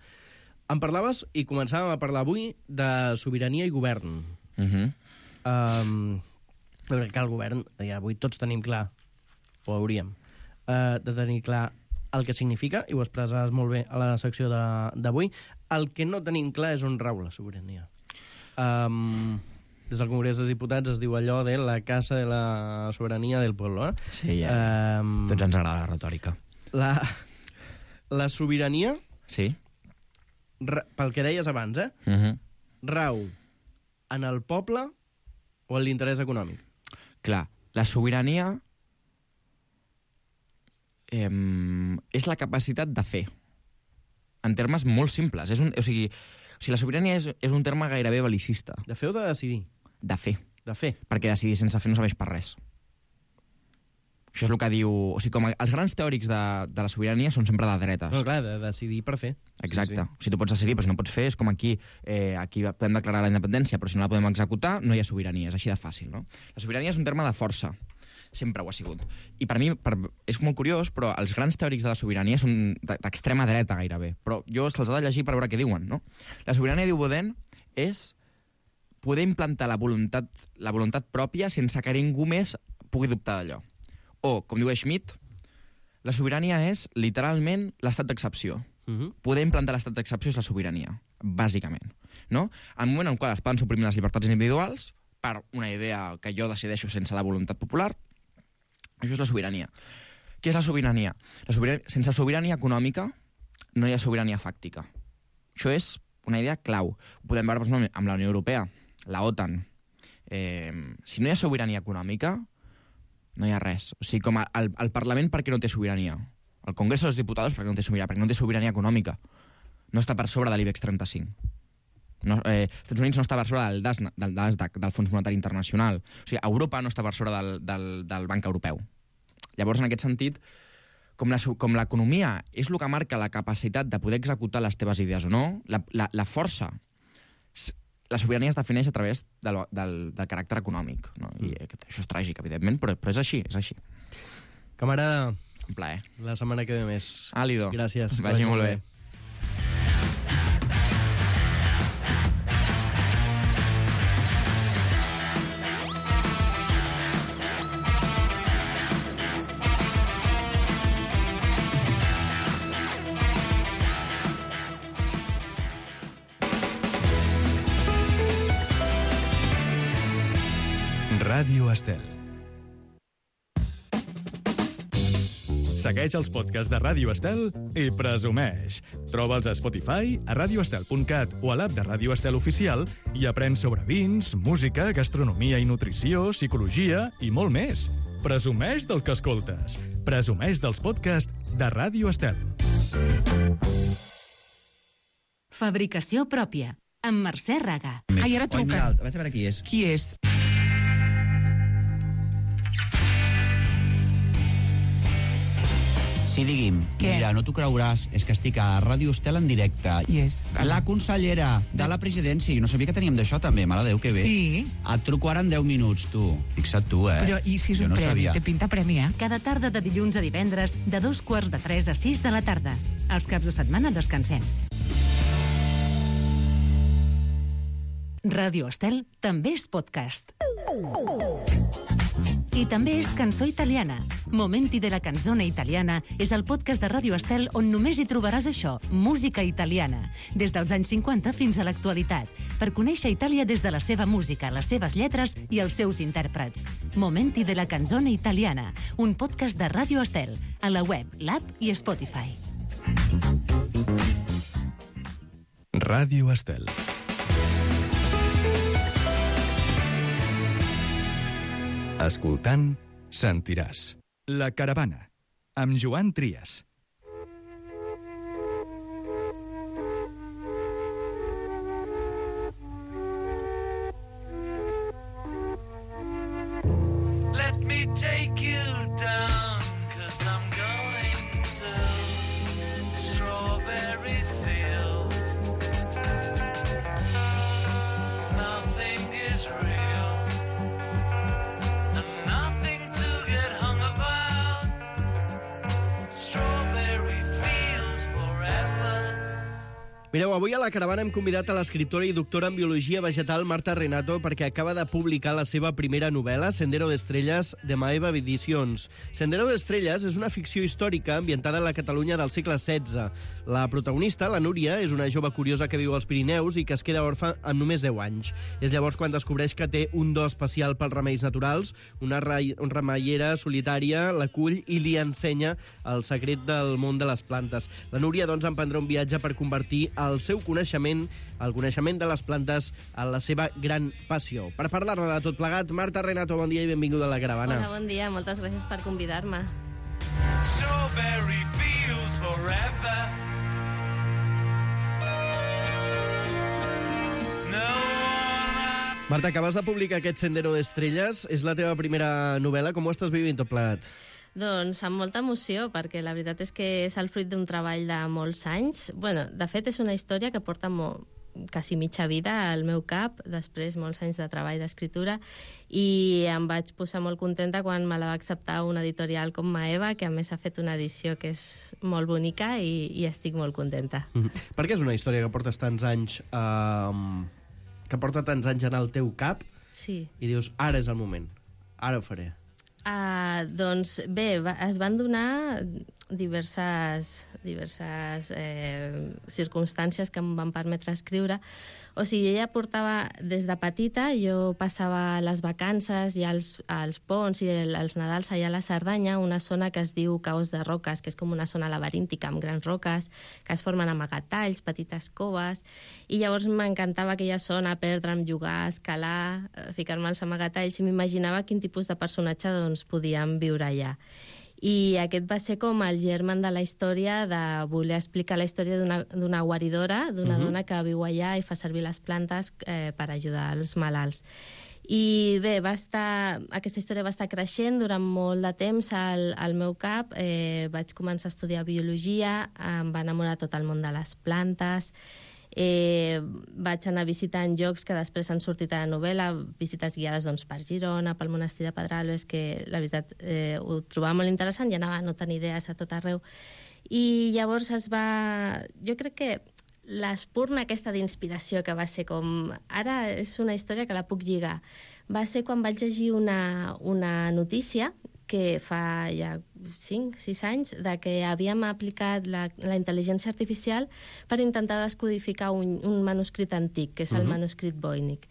S8: Em parlaves, i començàvem a parlar avui, de sobirania i govern. Jo crec que el govern, avui tots tenim clar, o hauríem, de tenir clar el que significa, i ho expresses molt bé a la secció d'avui. El que no tenim clar és on rau la sobirania. Des del Congrés dels Diputats es diu allò de la casa de la sobirania del pueblo.
S9: Sí, ja. Tots ens agrada la retòrica.
S8: La sobirania,
S9: sí,
S8: pel que deies abans, rau en el poble o en l'interès econòmic?
S9: Clar, la sobirania és la capacitat de fer, en termes molt simples. O sigui, la sobirania és un terme gairebé bel·licista.
S8: De fer o de decidir?
S9: De fer.
S8: De fer.
S9: Perquè decidir sense fer no serveix per res. Això és el que diu... O sigui, com els grans teòrics de la sobirania són sempre de dretes.
S8: No, clar, de decidir per fer.
S9: Exacte. Sí. Si tu pots decidir, però si no pots fer, és com aquí podem declarar la independència, però si no la podem executar, no hi ha sobirania. És així de fàcil, no? La sobirania és un terme de força. Sempre ho ha sigut. I per mi és molt curiós, però els grans teòrics de la sobirania són d'extrema dreta, gairebé. Però jo se'ls ha de llegir per veure què diuen, no? La sobirania, diu Baudin, és poder implantar la voluntat pròpia sense que ningú més pugui dubtar d'allò. O, com diu Schmitt, la sobirania és, literalment, l'estat d'excepció. Poder implantar l'estat d'excepció és la sobirania, bàsicament. No? En un moment en què es poden suprimir les llibertats individuals, per una idea que jo decideixo sense la voluntat popular, això és la sobirania. Què és la sobirania? Sense sobirania econòmica no hi ha sobirania fàctica. Això és una idea clau. Ho podem veure, per exemple, amb la Unió Europea, la OTAN. Si no hi ha sobirania econòmica, no hi ha res. O sigui, com el Parlament, per què no té sobirania? El Congrés dels Diputats, per què no té sobirania? Perquè no té sobirania econòmica. No està per sobre de l'IBEX 35. No, Estats Units no està per sobre del Nasdaq, del Fons Monetari Internacional. O sigui, Europa no està per sobre del Banc Europeu. Llavors, en aquest sentit, com l'economia és el que marca la capacitat de poder executar les teves idees o no, la força, la sobirania es defineix a través del caràcter econòmic. No? I això és tràgic, evidentment, però és així, és així.
S8: Camarada,
S9: un plaer.
S8: La setmana que ve més.
S9: Àlido.
S8: Gràcies.
S9: Vagi molt bé.
S1: Ràdio Estel. Segueix els podcasts de Ràdio Estel i presumeix. Troba'ls a Spotify, a radioestel.cat o a l'app de Ràdio Estel Oficial i aprèn sobre vins, música, gastronomia i nutrició, psicologia i molt més. Presumeix del que escoltes. Presumeix dels podcasts de Ràdio Estel.
S5: Fabricació pròpia, amb Mercè Raga.
S10: Ai, ara truca.
S9: Vaig a veure qui és.
S10: Qui és?
S11: Sí, digui'm.
S10: Què?
S11: Mira, no t'ho creuràs, és que estic a Ràdio Estel en directe.
S10: Qui és?
S11: La consellera de la presidència. Jo no sabia que teníem d'això, també. Mare de Déu, que bé.
S10: Sí.
S11: Et truco ara en 10 minuts, tu. Fixa't tu,
S10: Però i si és
S11: jo
S10: un
S11: no
S10: premi?
S11: sabia.
S10: Té pinta premi,
S5: Cada tarda de dilluns a divendres, de 2:45 a 6 de la tarda. Els caps de setmana descansem. Ràdio Estel també és podcast. I també és cançó italiana. Momenti de la canzone italiana és el podcast de Ràdio Estel on només hi trobaràs això, música italiana, des dels anys 50 fins a l'actualitat, per conèixer Itàlia des de la seva música, les seves lletres i els seus intèrprets. Momenti de la canzone italiana, un podcast de Ràdio Estel, a la web, l'app i Spotify.
S1: Ràdio Estel. Escoltant, sentiràs. La Caravana, amb Joan Trias.
S10: Let me take you down, 'cause I'm going to strawberry fields. Nothing is real, and nothing to get hung about. Strawberry fields forever.
S8: Mireu, avui a la caravana hem convidat a l'escriptora i doctora en Biologia Vegetal Marta Renato perquè acaba de publicar la seva primera novel·la, Sendero d'Estrelles, de Maeva Edicions. Sendero d'Estrelles és una ficció històrica ambientada en la Catalunya del segle XVI. La protagonista, la Núria, és una jove curiosa que viu als Pirineus i que es queda orfa amb només 10 anys. És llavors quan descobreix que té un do especial pels remeis naturals, una remeiera solitària l'acull i li ensenya el secret del món de les plantes. La Núria, doncs, emprendrà un viatge per convertir el seu coneixement, el coneixement de les plantes, en la seva gran passió. Per parlar-ne de tot plegat, Marta Renato, bon dia i benvinguda a la caravana.
S12: Hola, bon dia, moltes gràcies per convidar-me.
S10: Strawberry fields forever.
S8: Marta, acabes de publicar aquest Sendero d'Estrelles. És la teva primera novel·la. Com ho estàs vivint tot plegat?
S12: Doncs amb molta emoció, perquè la veritat és que és el fruit d'un treball de molts anys. Bueno, de fet, és una història que porta quasi mitja vida al meu cap, després molts anys de treball d'escriptura, i em vaig posar molt contenta quan me la va acceptar una editorial com Maeva, que a més ha fet una edició que és molt bonica i estic molt contenta.
S8: Per què és una història que portes tants anys... que porta tants anys en el teu cap?
S12: Sí.
S8: I dius, ara és el moment, ara ho faré.
S12: Doncs bé, es van donar diverses circumstàncies que em van permetre escriure. O sigui, ella portava, des de petita, jo passava les vacances i els ponts i els Nadals allà a la Cerdanya, una zona que es diu Caos de Roques, que és com una zona laberíntica amb grans roques que es formen amagatalls, petites coves, i llavors m'encantava aquella zona, perdre'm, jugar, escalar, ficar-me als amagatalls, i m'imaginava quin tipus de personatge doncs, podíem viure allà. I aquest va ser com el germen de la història, de voler explicar la història d'una guaridora, d'una dona que viu allà i fa servir les plantes per ajudar els malalts. I bé, aquesta història va estar creixent durant molt de temps al meu cap. Vaig començar a estudiar biologia, em va enamorar tot el món de les plantes. Vaig anar visitant llocs que després han sortit a la novel·la, visites guiades doncs, per Girona, pel monestir de Pedralbes, que la veritat ho trobava molt interessant i anava notant idees a tot arreu. I llavors jo crec que l'espurna aquesta d'inspiració que va ser com... Ara és una història que la puc lligar. Va ser quan vaig llegir una notícia que fa ja 5-6 anys, de que havíem aplicat la intel·ligència artificial per intentar descodificar un manuscrit antic, que és el manuscrit Voynich.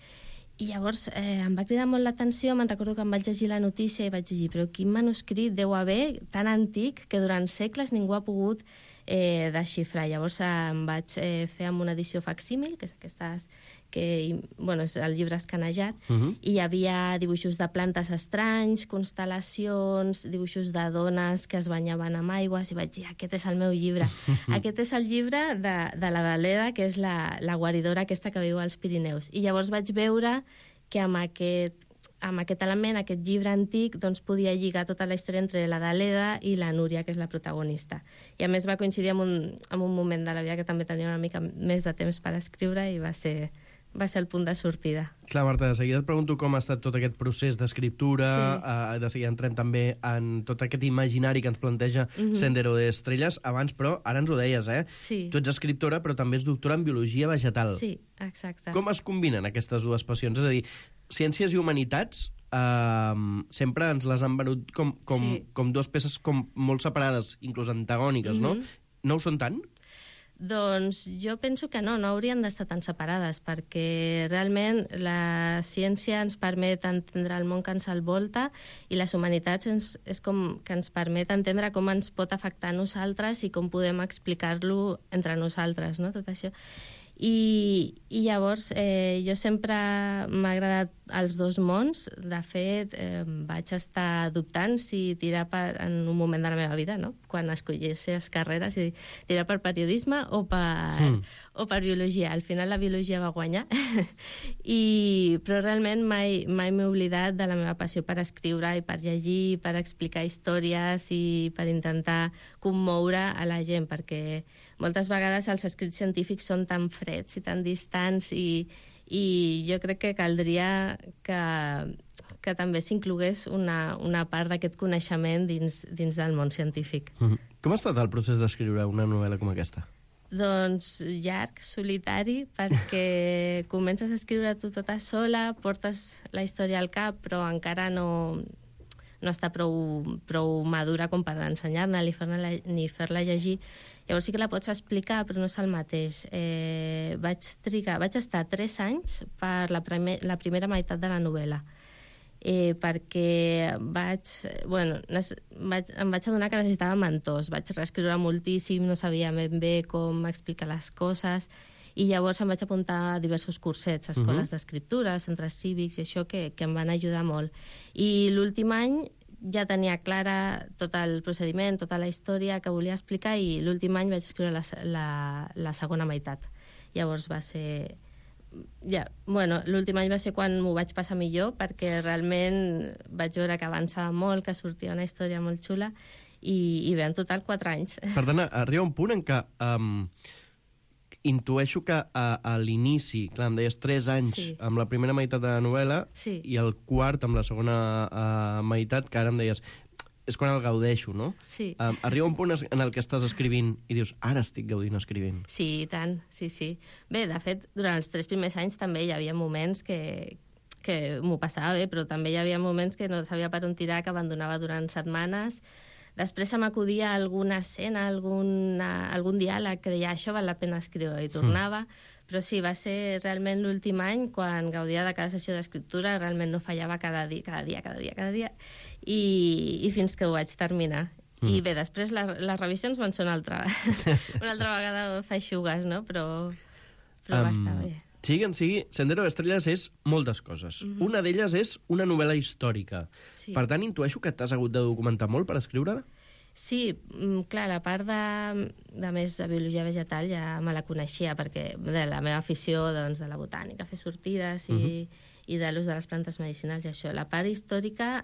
S12: I llavors em va cridar molt l'atenció, me'n recordo que em vaig llegir la notícia i vaig llegir, però quin manuscrit deu haver tan antic que durant segles ningú ha pogut desxifrar. Llavors em vaig fer amb una edició facsímil, que és aquestes que, bueno, és el llibre escanejat, i hi havia dibuixos de plantes estranys, constel·lacions, dibuixos de dones que es banyaven amb aigües, i vaig dir, aquest és el meu llibre. Aquest és el llibre de la Daleda, que és la guaridora aquesta que viu als Pirineus. I llavors vaig veure que amb aquest element, aquest llibre antic, doncs podia lligar tota la història entre la Daleda i la Núria, que és la protagonista. I a més va coincidir amb un moment de la vida que també tenia una mica més de temps per escriure i va ser va ser el punt de sortida.
S8: Clar, Marta, de seguida et pregunto com ha estat tot aquest procés d'escriptura, de seguida entrem també en tot aquest imaginari que ens planteja Sendero de Estrelles. Abans, però, ara ens ho deies,
S12: Sí.
S8: Tu ets escriptora, però també ets doctora en biologia vegetal.
S12: Sí, exacte.
S8: Com es combinen aquestes dues passions? És a dir, ciències i humanitats sempre ens les han venut com dues peces com molt separades, inclús antagòniques, no? No ho són tant?
S12: Doncs jo penso que no haurien d'estar tan separades, perquè realment la ciència ens permet entendre el món que ens envolta i les humanitats és com que ens permet entendre com ens pot afectar a nosaltres i com podem explicar-lo entre nosaltres, no? Tot això. I llavors jo sempre m'ha agradat els dos mons. De fet, vaig estar dubtant si tirar en un moment de la meva vida, no? Quan escollies carreres, si tirar per periodisme o per biologia. Al final la biologia va guanyar. Però realment mai m'he oblidat de la meva passió per escriure i per llegir, per explicar històries i per intentar commoure a la gent, perquè moltes vegades els escrits científics són tan freds i tan distants i jo crec que caldria que també s'inclogués una part d'aquest coneixement dins del món científic.
S8: Com ha estat el procés d'escriure una novel·la com aquesta?
S12: Doncs llarg, solitari, perquè comences a escriure tu tota sola, portes la història al cap, però encara no està prou madura com per ensenyar-ne ni fer-la llegir. Llavors sí que la pots explicar, però no és el mateix. Vaig estar 3 anys per la primera meitat de la novel·la, perquè em vaig adonar que necessitava mentors. Vaig reescriure moltíssim, no sabia ben bé com explicar les coses, i llavors em vaig apuntar a diversos cursets, escoles d'escriptura, centres cívics, i això que em van ajudar molt. I l'últim any ja tenia clara tot el procediment, tota la història que volia explicar, i l'últim any vaig escriure la segona meitat. Llavors va ser... l'últim any va ser quan m'ho vaig passar millor, perquè realment vaig veure que avançava molt, que sortia una història molt xula, i bé, en total 4 anys.
S8: Per tant, arriba un punt en què intueixo que a l'inici, clar, em deies 3 anys amb la primera meitat de la novel·la i el quart amb la segona meitat, que ara em deies és quan el gaudeixo, no?
S12: Sí.
S8: Arriba un punt en el que estàs escrivint i dius, ara estic gaudint escrivint.
S12: Sí, i tant, sí. Bé, de fet, durant els 3 primers anys també hi havia moments que m'ho passava bé, però també hi havia moments que no sabia per on tirar, que abandonava durant setmanes. Després se m'acudia alguna escena, algun diàleg que deia això val la pena escriure, i tornava. Però sí, va ser realment l'últim any quan gaudia de cada sessió d'escriptura, realment no fallava cada dia, i fins que ho vaig terminar. I bé, després les revisions van ser una altra vegada feixugues, no? Però va estar bé.
S8: Sigui en sigui, Sendero d'Estrelles és moltes coses. Una d'elles és una novel·la històrica.
S12: Sí.
S8: Per tant, intueixo que t'has hagut de documentar molt per escriure-la?
S12: Sí, clar, la part de més de biologia vegetal ja me la coneixia, perquè de la meva afició de la botànica, fer sortides i de l'ús de les plantes medicinals i això. La part històrica,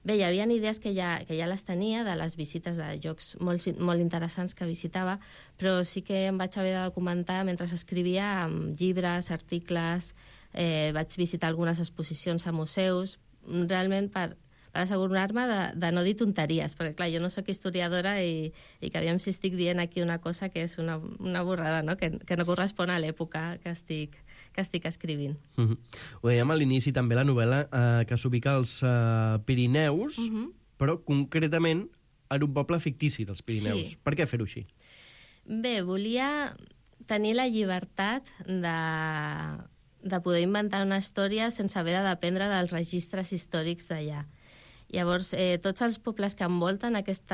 S12: bé, hi havia idees que ja les tenia de les visites de llocs molt interessants que visitava, però sí que em vaig haver de documentar mentre escrivia amb llibres, articles, vaig visitar algunes exposicions a museus, realment per assegurar-me de no dir tonteries, perquè clar, jo no sóc historiadora i que aviam si estic dient aquí una cosa que és una borrada, no? Que no correspon a l'època que estic escrivint.
S8: Ho dèiem a l'inici també, la novel·la que s'ubica als Pirineus, però concretament en un poble fictici dels Pirineus.
S12: Sí.
S8: Per què fer-ho així?
S12: Bé, volia tenir la llibertat de poder inventar una història sense haver de dependre dels registres històrics d'allà. Llavors, tots els pobles que envolten aquest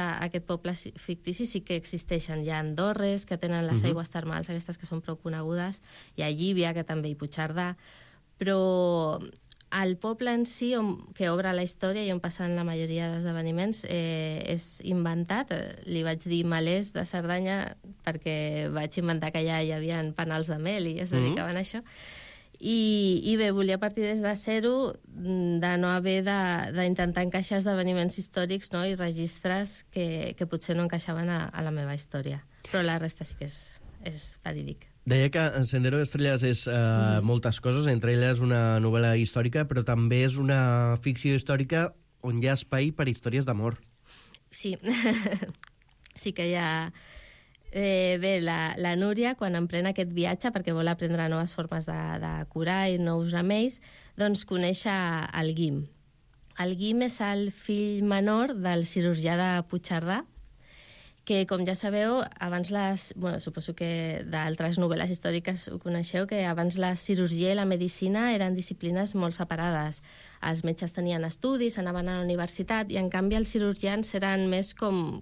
S12: poble fictici sí que existeixen. Hi ha Andorres, que tenen les aigües termals, aquestes que són prou conegudes. Hi ha Llívia, que també, i Puigcerdà. Però el poble en si, que obre la història i on passen la majoria d'esdeveniments, és inventat. Li vaig dir Malers de Cerdanya perquè vaig inventar que allà hi havia panals de mel i es dedicaven a això. I bé, volia partir des de zero, de no haver d'intentar encaixar esdeveniments històrics, no? I registres que potser no encaixaven a la meva història. Però la resta sí que és verídic.
S8: Deia que Sendero d'Estrelles és moltes coses, entre elles una novel·la històrica, però també és una ficció històrica on hi ha espai per històries d'amor.
S12: Sí, sí que hi ha... Bé, la Núria, quan emprèn aquest viatge, perquè vol aprendre noves formes de curar i nous remeis, doncs coneix el Guim. El Guim és el fill menor del cirurgià de Puigcerdà, que, com ja sabeu, abans suposo que d'altres novel·les històriques ho coneixeu, que abans la cirurgia i la medicina eren disciplines molt separades. Els metges tenien estudis, anaven a la universitat, i en canvi els cirurgians eren més com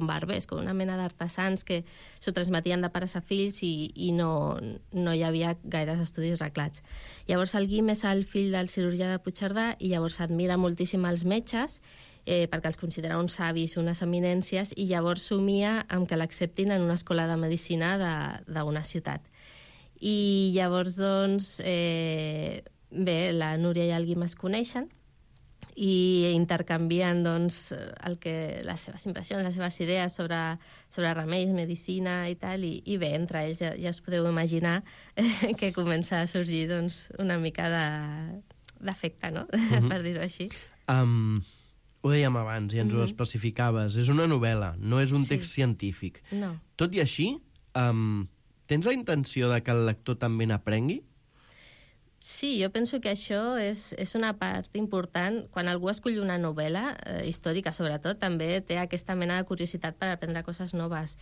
S12: barbers, com una mena d'artesans que s'ho transmetien de pares a fills i no hi havia gaires estudis reglats. Llavors el Guim és el fill del cirurgià de Puigcerdà i llavors admira moltíssim els metges perquè els considera uns savis, unes eminències, i llavors somia amb que l'acceptin en una escola de medicina d'una ciutat. I llavors, doncs, la Núria i el Guim es coneixen i intercanvien doncs, les seves impressions, les seves idees sobre remeis, medicina i tal, i bé, entre ells ja us podeu imaginar que comença a sorgir doncs, una mica d'afecte, no? Per dir-ho així.
S8: Ho dèiem abans i ens ho especificaves. És una novel·la, no és un text científic.
S12: No.
S8: Tot i així, tens la intenció de que el lector també n'aprengui?
S12: Sí, jo penso que això és una part important. Quan algú escull una novel·la, històrica sobretot, també té aquesta mena de curiositat per aprendre coses noves.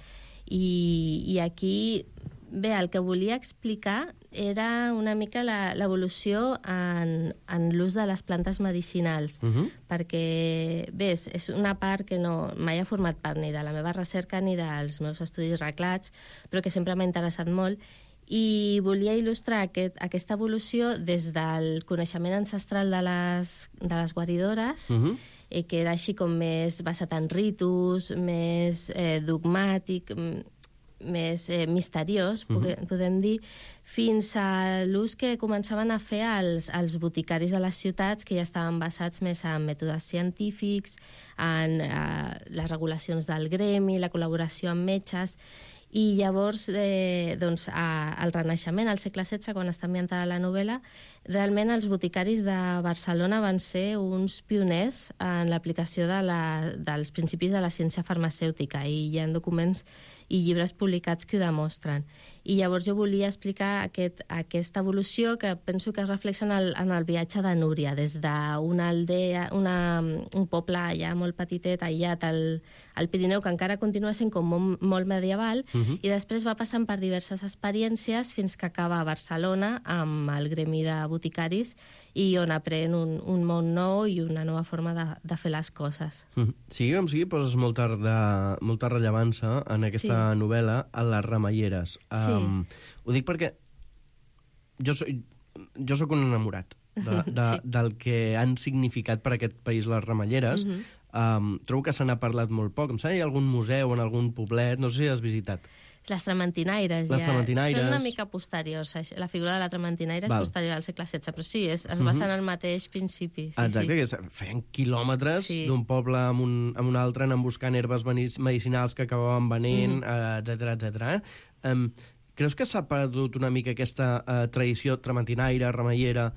S12: I aquí, bé, el que volia explicar era una mica l'evolució en l'ús de les plantes medicinals, perquè, bé, és una part que mai ha format part ni de la meva recerca ni dels meus estudis reglats, però que sempre m'ha interessat molt, i volia il·lustrar aquesta evolució des del coneixement ancestral de les guaridores, que era així com més basat en ritus, més dogmàtic, més misteriós, podem dir, fins a l'ús que començaven a fer els boticaris de les ciutats, que ja estaven basats més en mètodes científics, en les regulacions del gremi, la col·laboració amb metges. I llavors, doncs, al Renaixement, al segle XVI, quan està ambientada la novel·la, realment els boticaris de Barcelona van ser uns pioners en l'aplicació dels principis de la ciència farmacèutica, i hi ha documents i llibres publicats que ho demostren. I llavors jo volia explicar aquesta evolució que penso que es reflexa en el viatge de Núria, des d'una aldea, un poble allà molt petitet, aïllat al Pirineu, que encara continua sent com molt medieval, i després va passant per diverses experiències fins que acaba a Barcelona amb el gremi de boticaris, i on aprèn un món nou i una nova forma de fer les coses.
S8: Sigui com sigui, poses molta rellevància en aquesta novel·la a les remeieres. Ho dic perquè jo soc un enamorat del que han significat per aquest país les remeieres. Trobo que se n'ha parlat molt poc. Em sembla que hi ha algun museu en algun poblet, no sé si has visitat.
S12: Les trementinaires, són una mica posteriors. La figura de la trementinaire és posterior al segle XVI, però sí, es basa en el mateix principi.
S8: Exacte, que feien quilòmetres d'un poble a un altre, anant buscant herbes medicinals que acabaven venent, etcètera. Creus que s'ha perdut una mica aquesta tradició trementinaire, remeiera,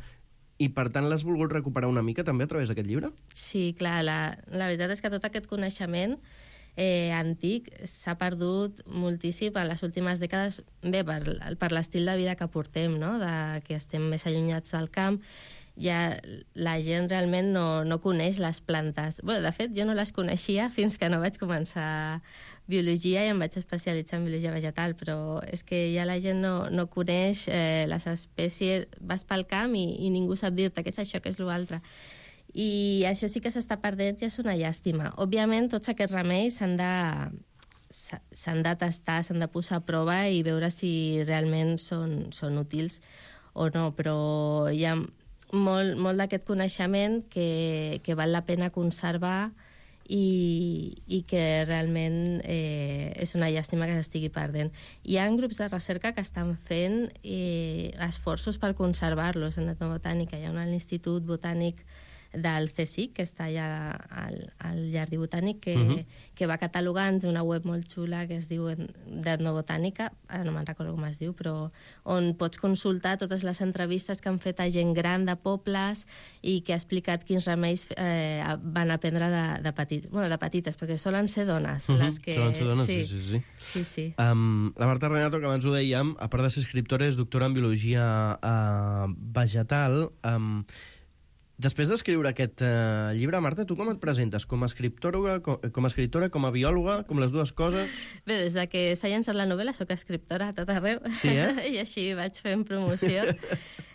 S8: i per tant l'has volgut recuperar una mica també a través d'aquest llibre?
S12: Sí, clar, la veritat és que tot aquest coneixement antic s'ha perdut moltíssim en les últimes dècades, bé, per l'estil de vida que portem, no? Que estem més allunyats del camp. Ja la gent realment no coneix les plantes. Bé, de fet, jo no les coneixia fins que no vaig començar biologia i em vaig especialitzar en biologia vegetal, però és que ja la gent no coneix les espècies. Vas pel camp i ningú sap dir-te què és això, què és l'altre. I això sí que s'està perdent i és una llàstima. Òbviament, tots aquests remeis s'han de tastar, s'han de posar a prova i veure si realment són útils o no, però hi ha molt d'aquest coneixement que val la pena conservar i que realment és una llàstima que s'estigui perdent. Hi ha grups de recerca que estan fent esforços per conservar-los en etnobotànica. Hi ha l'Institut Botànic del CSIC, que està allà al Jardí Botànic, que va catalogant una web molt xula que es diu d'etnobotànica, ara no me'n recordo com es diu, però on pots consultar totes les entrevistes que han fet a gent gran de pobles i que ha explicat quins remeis van aprendre de petits. Bueno, de petites, perquè solen ser dones. Les que...
S8: Solen ser dones, sí. La Marta Renato, que abans ho dèiem, a part de ser escriptora, és doctora en biologia vegetal. Després d'escriure aquest llibre, Marta, tu com et presentes? Com a escriptora, com a biòloga, com les dues coses?
S12: Bé, des de que s'ha llançat la novel·la soc escriptora a tot arreu.
S8: Sí,
S12: I així vaig fent promoció.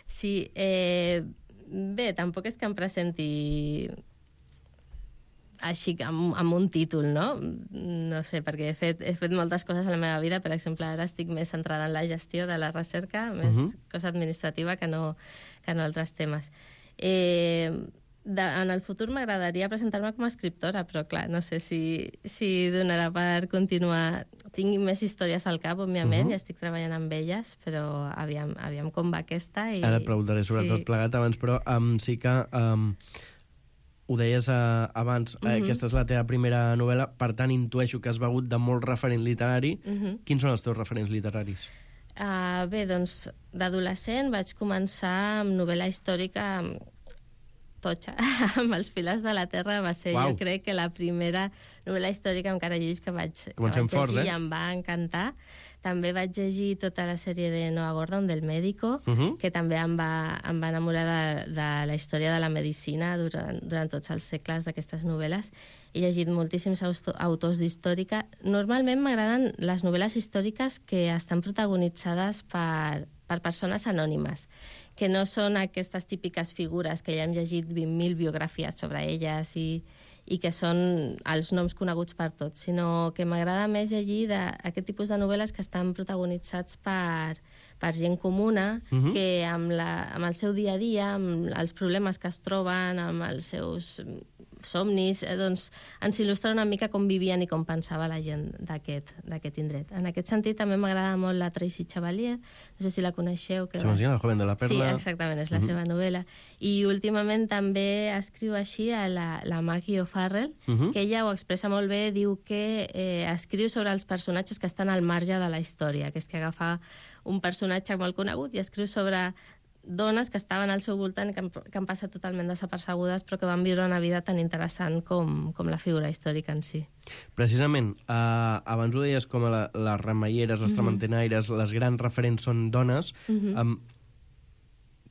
S12: Sí, bé, tampoc és que em presenti així amb un títol, no? No sé, perquè he fet moltes coses a la meva vida. Per exemple, ara estic més centrada en la gestió de la recerca, més cosa administrativa que no altres temes. En el futur m'agradaria presentar-me com a escriptora, però clar, no sé si donarà per continuar. Tinc més històries al cap, òbviament, i estic treballant amb elles, però aviam com va aquesta.
S8: Ara et preguntaré sobre tot plegat abans, però sí que ho deies abans, aquesta és la teva primera novel·la, per tant intueixo que has begut de molt referent literari. Quins són els teus referents literaris?
S12: Bé, doncs, d'adolescent vaig començar amb novel·la històrica totxa, amb Els filers de la terra. Va ser, jo crec, que la primera novel·la històrica amb cara lluís que vaig llegir i em va encantar. També vaig llegir tota la sèrie de Noah Gordon, del Médico, que també em va enamorar de la història de la medicina durant tots els segles d'aquestes novel·les. He llegit moltíssims autors d'històrica. Normalment m'agraden les novel·les històriques que estan protagonitzades per persones anònimes, que no són aquestes típiques figures que ja hem llegit 20.000 biografies sobre elles i que són els noms coneguts per tots, sinó que m'agrada més llegir aquest tipus de novel·les que estan protagonitzats per gent comuna, que amb el seu dia a dia, amb els problemes que es troben, amb els seus somnis, doncs ens il·lustra una mica com vivien i com pensava la gent d'aquest indret. En aquest sentit també m'agrada molt la Tracy Chevalier, no sé si la coneixeu.
S8: La joven de la perla.
S12: Sí, exactament, és la seva novel·la. I últimament també escriu així a la Maggie O'Farrell, que ella ho expressa molt bé, diu que escriu sobre els personatges que estan al marge de la història, que és que agafa un personatge molt conegut i escriu sobre dones que estaven al seu voltant i que han passat totalment desapercebudes però que van viure una vida tan interessant com la figura històrica en si.
S8: Precisament, abans ho deies com les remeieres, les trementenaires, les grans referents són dones.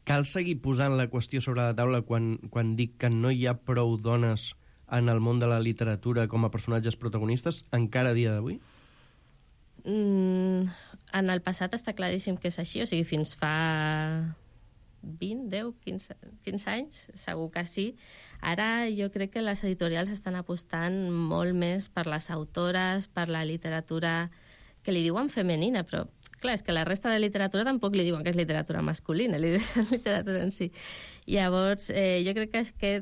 S8: Cal seguir posant la qüestió sobre la taula quan dic que no hi ha prou dones en el món de la literatura com a personatges protagonistes encara a dia d'avui?
S12: En el passat està claríssim que és així, o sigui, fins fa 20, 10, 15 anys, segur que sí. Ara jo crec que les editorials estan apostant molt més per les autores, per la literatura que li diuen femenina, però clar, és que la resta de literatura tampoc li diuen que és literatura masculina, literatura en si. Llavors, jo crec que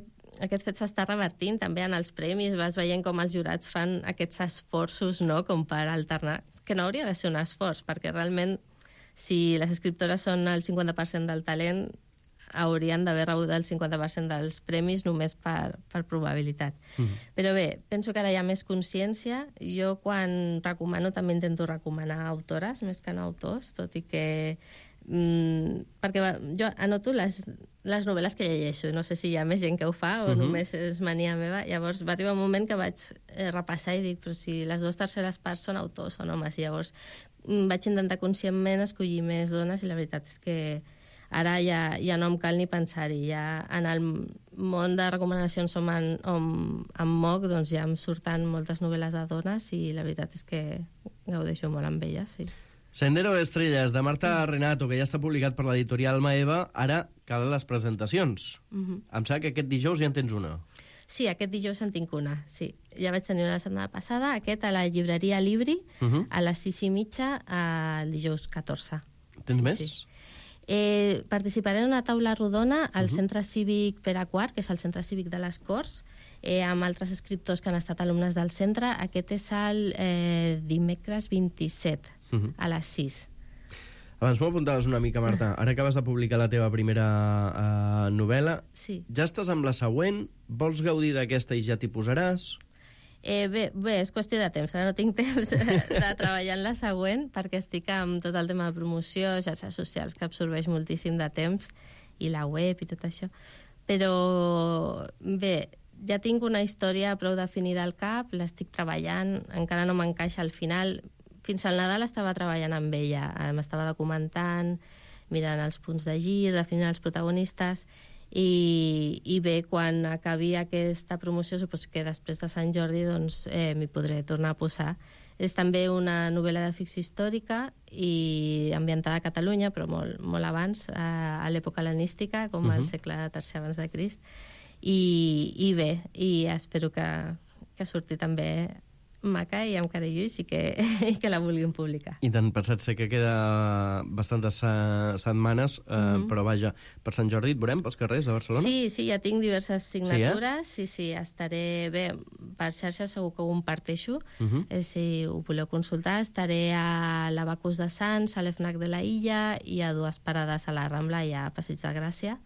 S12: aquest fet s'està revertint també en els premis, vas veient com els jurats fan aquests esforços, no?, com per alternar, que no hauria de ser un esforç, perquè realment si les escriptores són el 50% del talent, haurien d'haver rebut el 50% dels premis només per probabilitat. Però bé, penso que ara hi ha més consciència. Jo quan recomano també intento recomanar autores més que no autors, tot i que perquè jo anoto les novel·les que llegeixo, no sé si hi ha més gent que ho fa o només és mania meva. Llavors va arribar un moment que vaig repassar i dic, però si les 2/3 parts són autors, són homes, i llavors vaig intentar conscientment escollir més dones i la veritat és que ara ja no em cal ni pensar-hi. Ja en el món de recomanacions en MOOC doncs ja em surten moltes novel·les de dones i la veritat és que gaudeixo molt amb elles, sí.
S8: Sendero de Estrelles, de Marta Renato, que ja està publicat per l'editorial Maeva. Ara calen les presentacions. Em sembla que aquest dijous ja en tens una.
S12: Sí, aquest dijous en tinc una, sí. Ja vaig tenir una la setmana passada, aquest a la llibreria Libri, a les 6:30, el dijous 14.
S8: Tens més?
S12: Sí. Participaré en una taula rodona al Centre Cívic Pere IV, que és el Centre Cívic de les Corts, amb altres escriptors que han estat alumnes del centre. Aquest és el dimecres 27, a les 6.
S8: Abans m'ho apuntaves una mica, Marta. Ara acabes de publicar la teva primera novel·la.
S12: Sí.
S8: Ja estàs amb la següent? Vols gaudir d'aquesta i ja t'hi posaràs?
S12: Bé, és qüestió de temps. Ara no tinc temps de treballar en la següent perquè estic amb tot el tema de promoció, xarxes socials, que absorbeix moltíssim de temps, i la web i tot això. Però bé, ja tinc una història prou definida al cap, l'estic treballant, encara no m'encaixa al final. Fins al Nadal estava treballant amb ella, m'estava documentant, mirant els punts de gir, definint els protagonistes, i bé, quan acabi aquesta promoció, suposo que després de Sant Jordi, doncs m'hi podré tornar a posar. És també una novel·la de ficció històrica i ambientada a Catalunya, però molt abans, a l'època hel·lenística, com al segle III abans de Crist. I bé, i espero que surti també maca i amb carillo i que la vulguin publicar.
S8: I tant, pensat sé que queda bastantes setmanes, però vaja, per Sant Jordi et veurem pels carrers de Barcelona?
S12: Sí, ja tinc diverses signatures, sí, estaré bé, per xarxes segur que ho comparteixo, si ho voleu consultar, estaré a l'Abacus de Sants, a l'FNAC de la Illa i a 2 parades a la Rambla i a Passeig de Gràcia.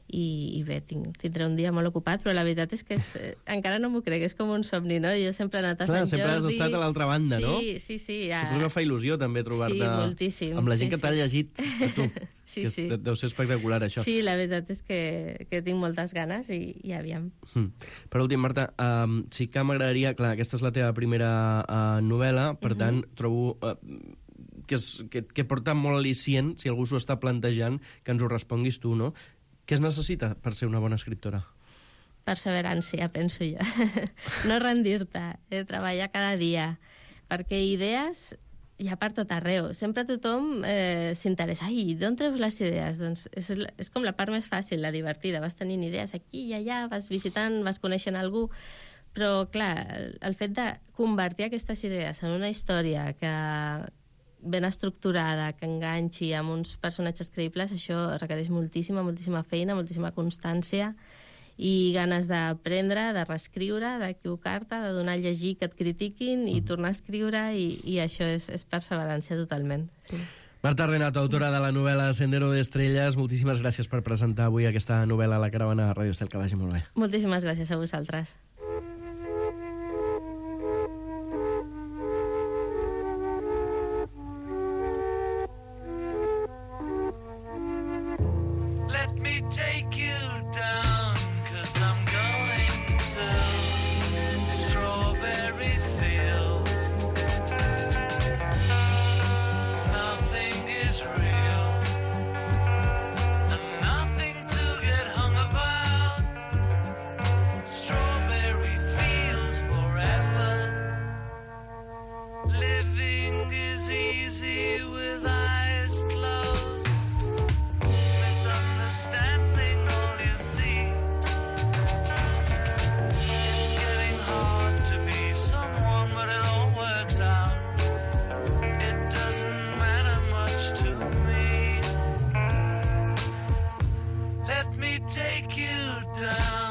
S12: I bé, tindré un dia molt ocupat, però la veritat és que encara no m'ho crec, és com un somni, no? Jo sempre he anat a Sant Jordi...
S8: Sempre has estat a l'altra banda, no?
S12: Sí.
S8: Suposo que fa il·lusió també trobar-te
S12: moltíssim,
S8: amb la gent que t'ha llegit a tu.
S12: Sí.
S8: Deu ser espectacular, això.
S12: Sí, la veritat és que tinc moltes ganes i aviam.
S8: Per últim, Marta, sí que m'agradaria... Clar, aquesta és la teva primera novel·la, per tant, trobo... que porta molt al·licient, si algú s'ho està plantejant, que ens ho responguis tu, no? Què es necessita per ser una bona escriptora?
S12: Perseverància, penso jo. No rendir-te, treballar cada dia, perquè idees hi ha per tot arreu. Sempre tothom s'interessa. Ai, d'on treus les idees? Doncs és com la part més fàcil, la divertida. Vas tenint idees aquí i allà, vas visitant, vas coneixent algú, però, clar, el fet de convertir aquestes idees en una història que ben estructurada, que enganxi amb uns personatges creïbles, això requereix moltíssima feina, moltíssima constància i ganes d'aprendre, de reescriure, d'equivocar-te, de donar a llegir que et critiquin i tornar a escriure, i això és perseverància totalment. Sí.
S8: Marta Renato, autora de la novel·la Sendero de Estrelles, moltíssimes gràcies per presentar avui aquesta novel·la a la Caravana de Ràdio Estel, que vagi molt bé.
S12: Moltíssimes gràcies a vosaltres.
S10: Take you down, 'cause I'm going to strawberry fields. Nothing is real, and nothing to get hung about. Strawberry fields forever. Living is easy with eyes closed. Misunderstanding all you see. It's getting hard to be someone, but it all works out. It doesn't matter much to me. Let me take you down.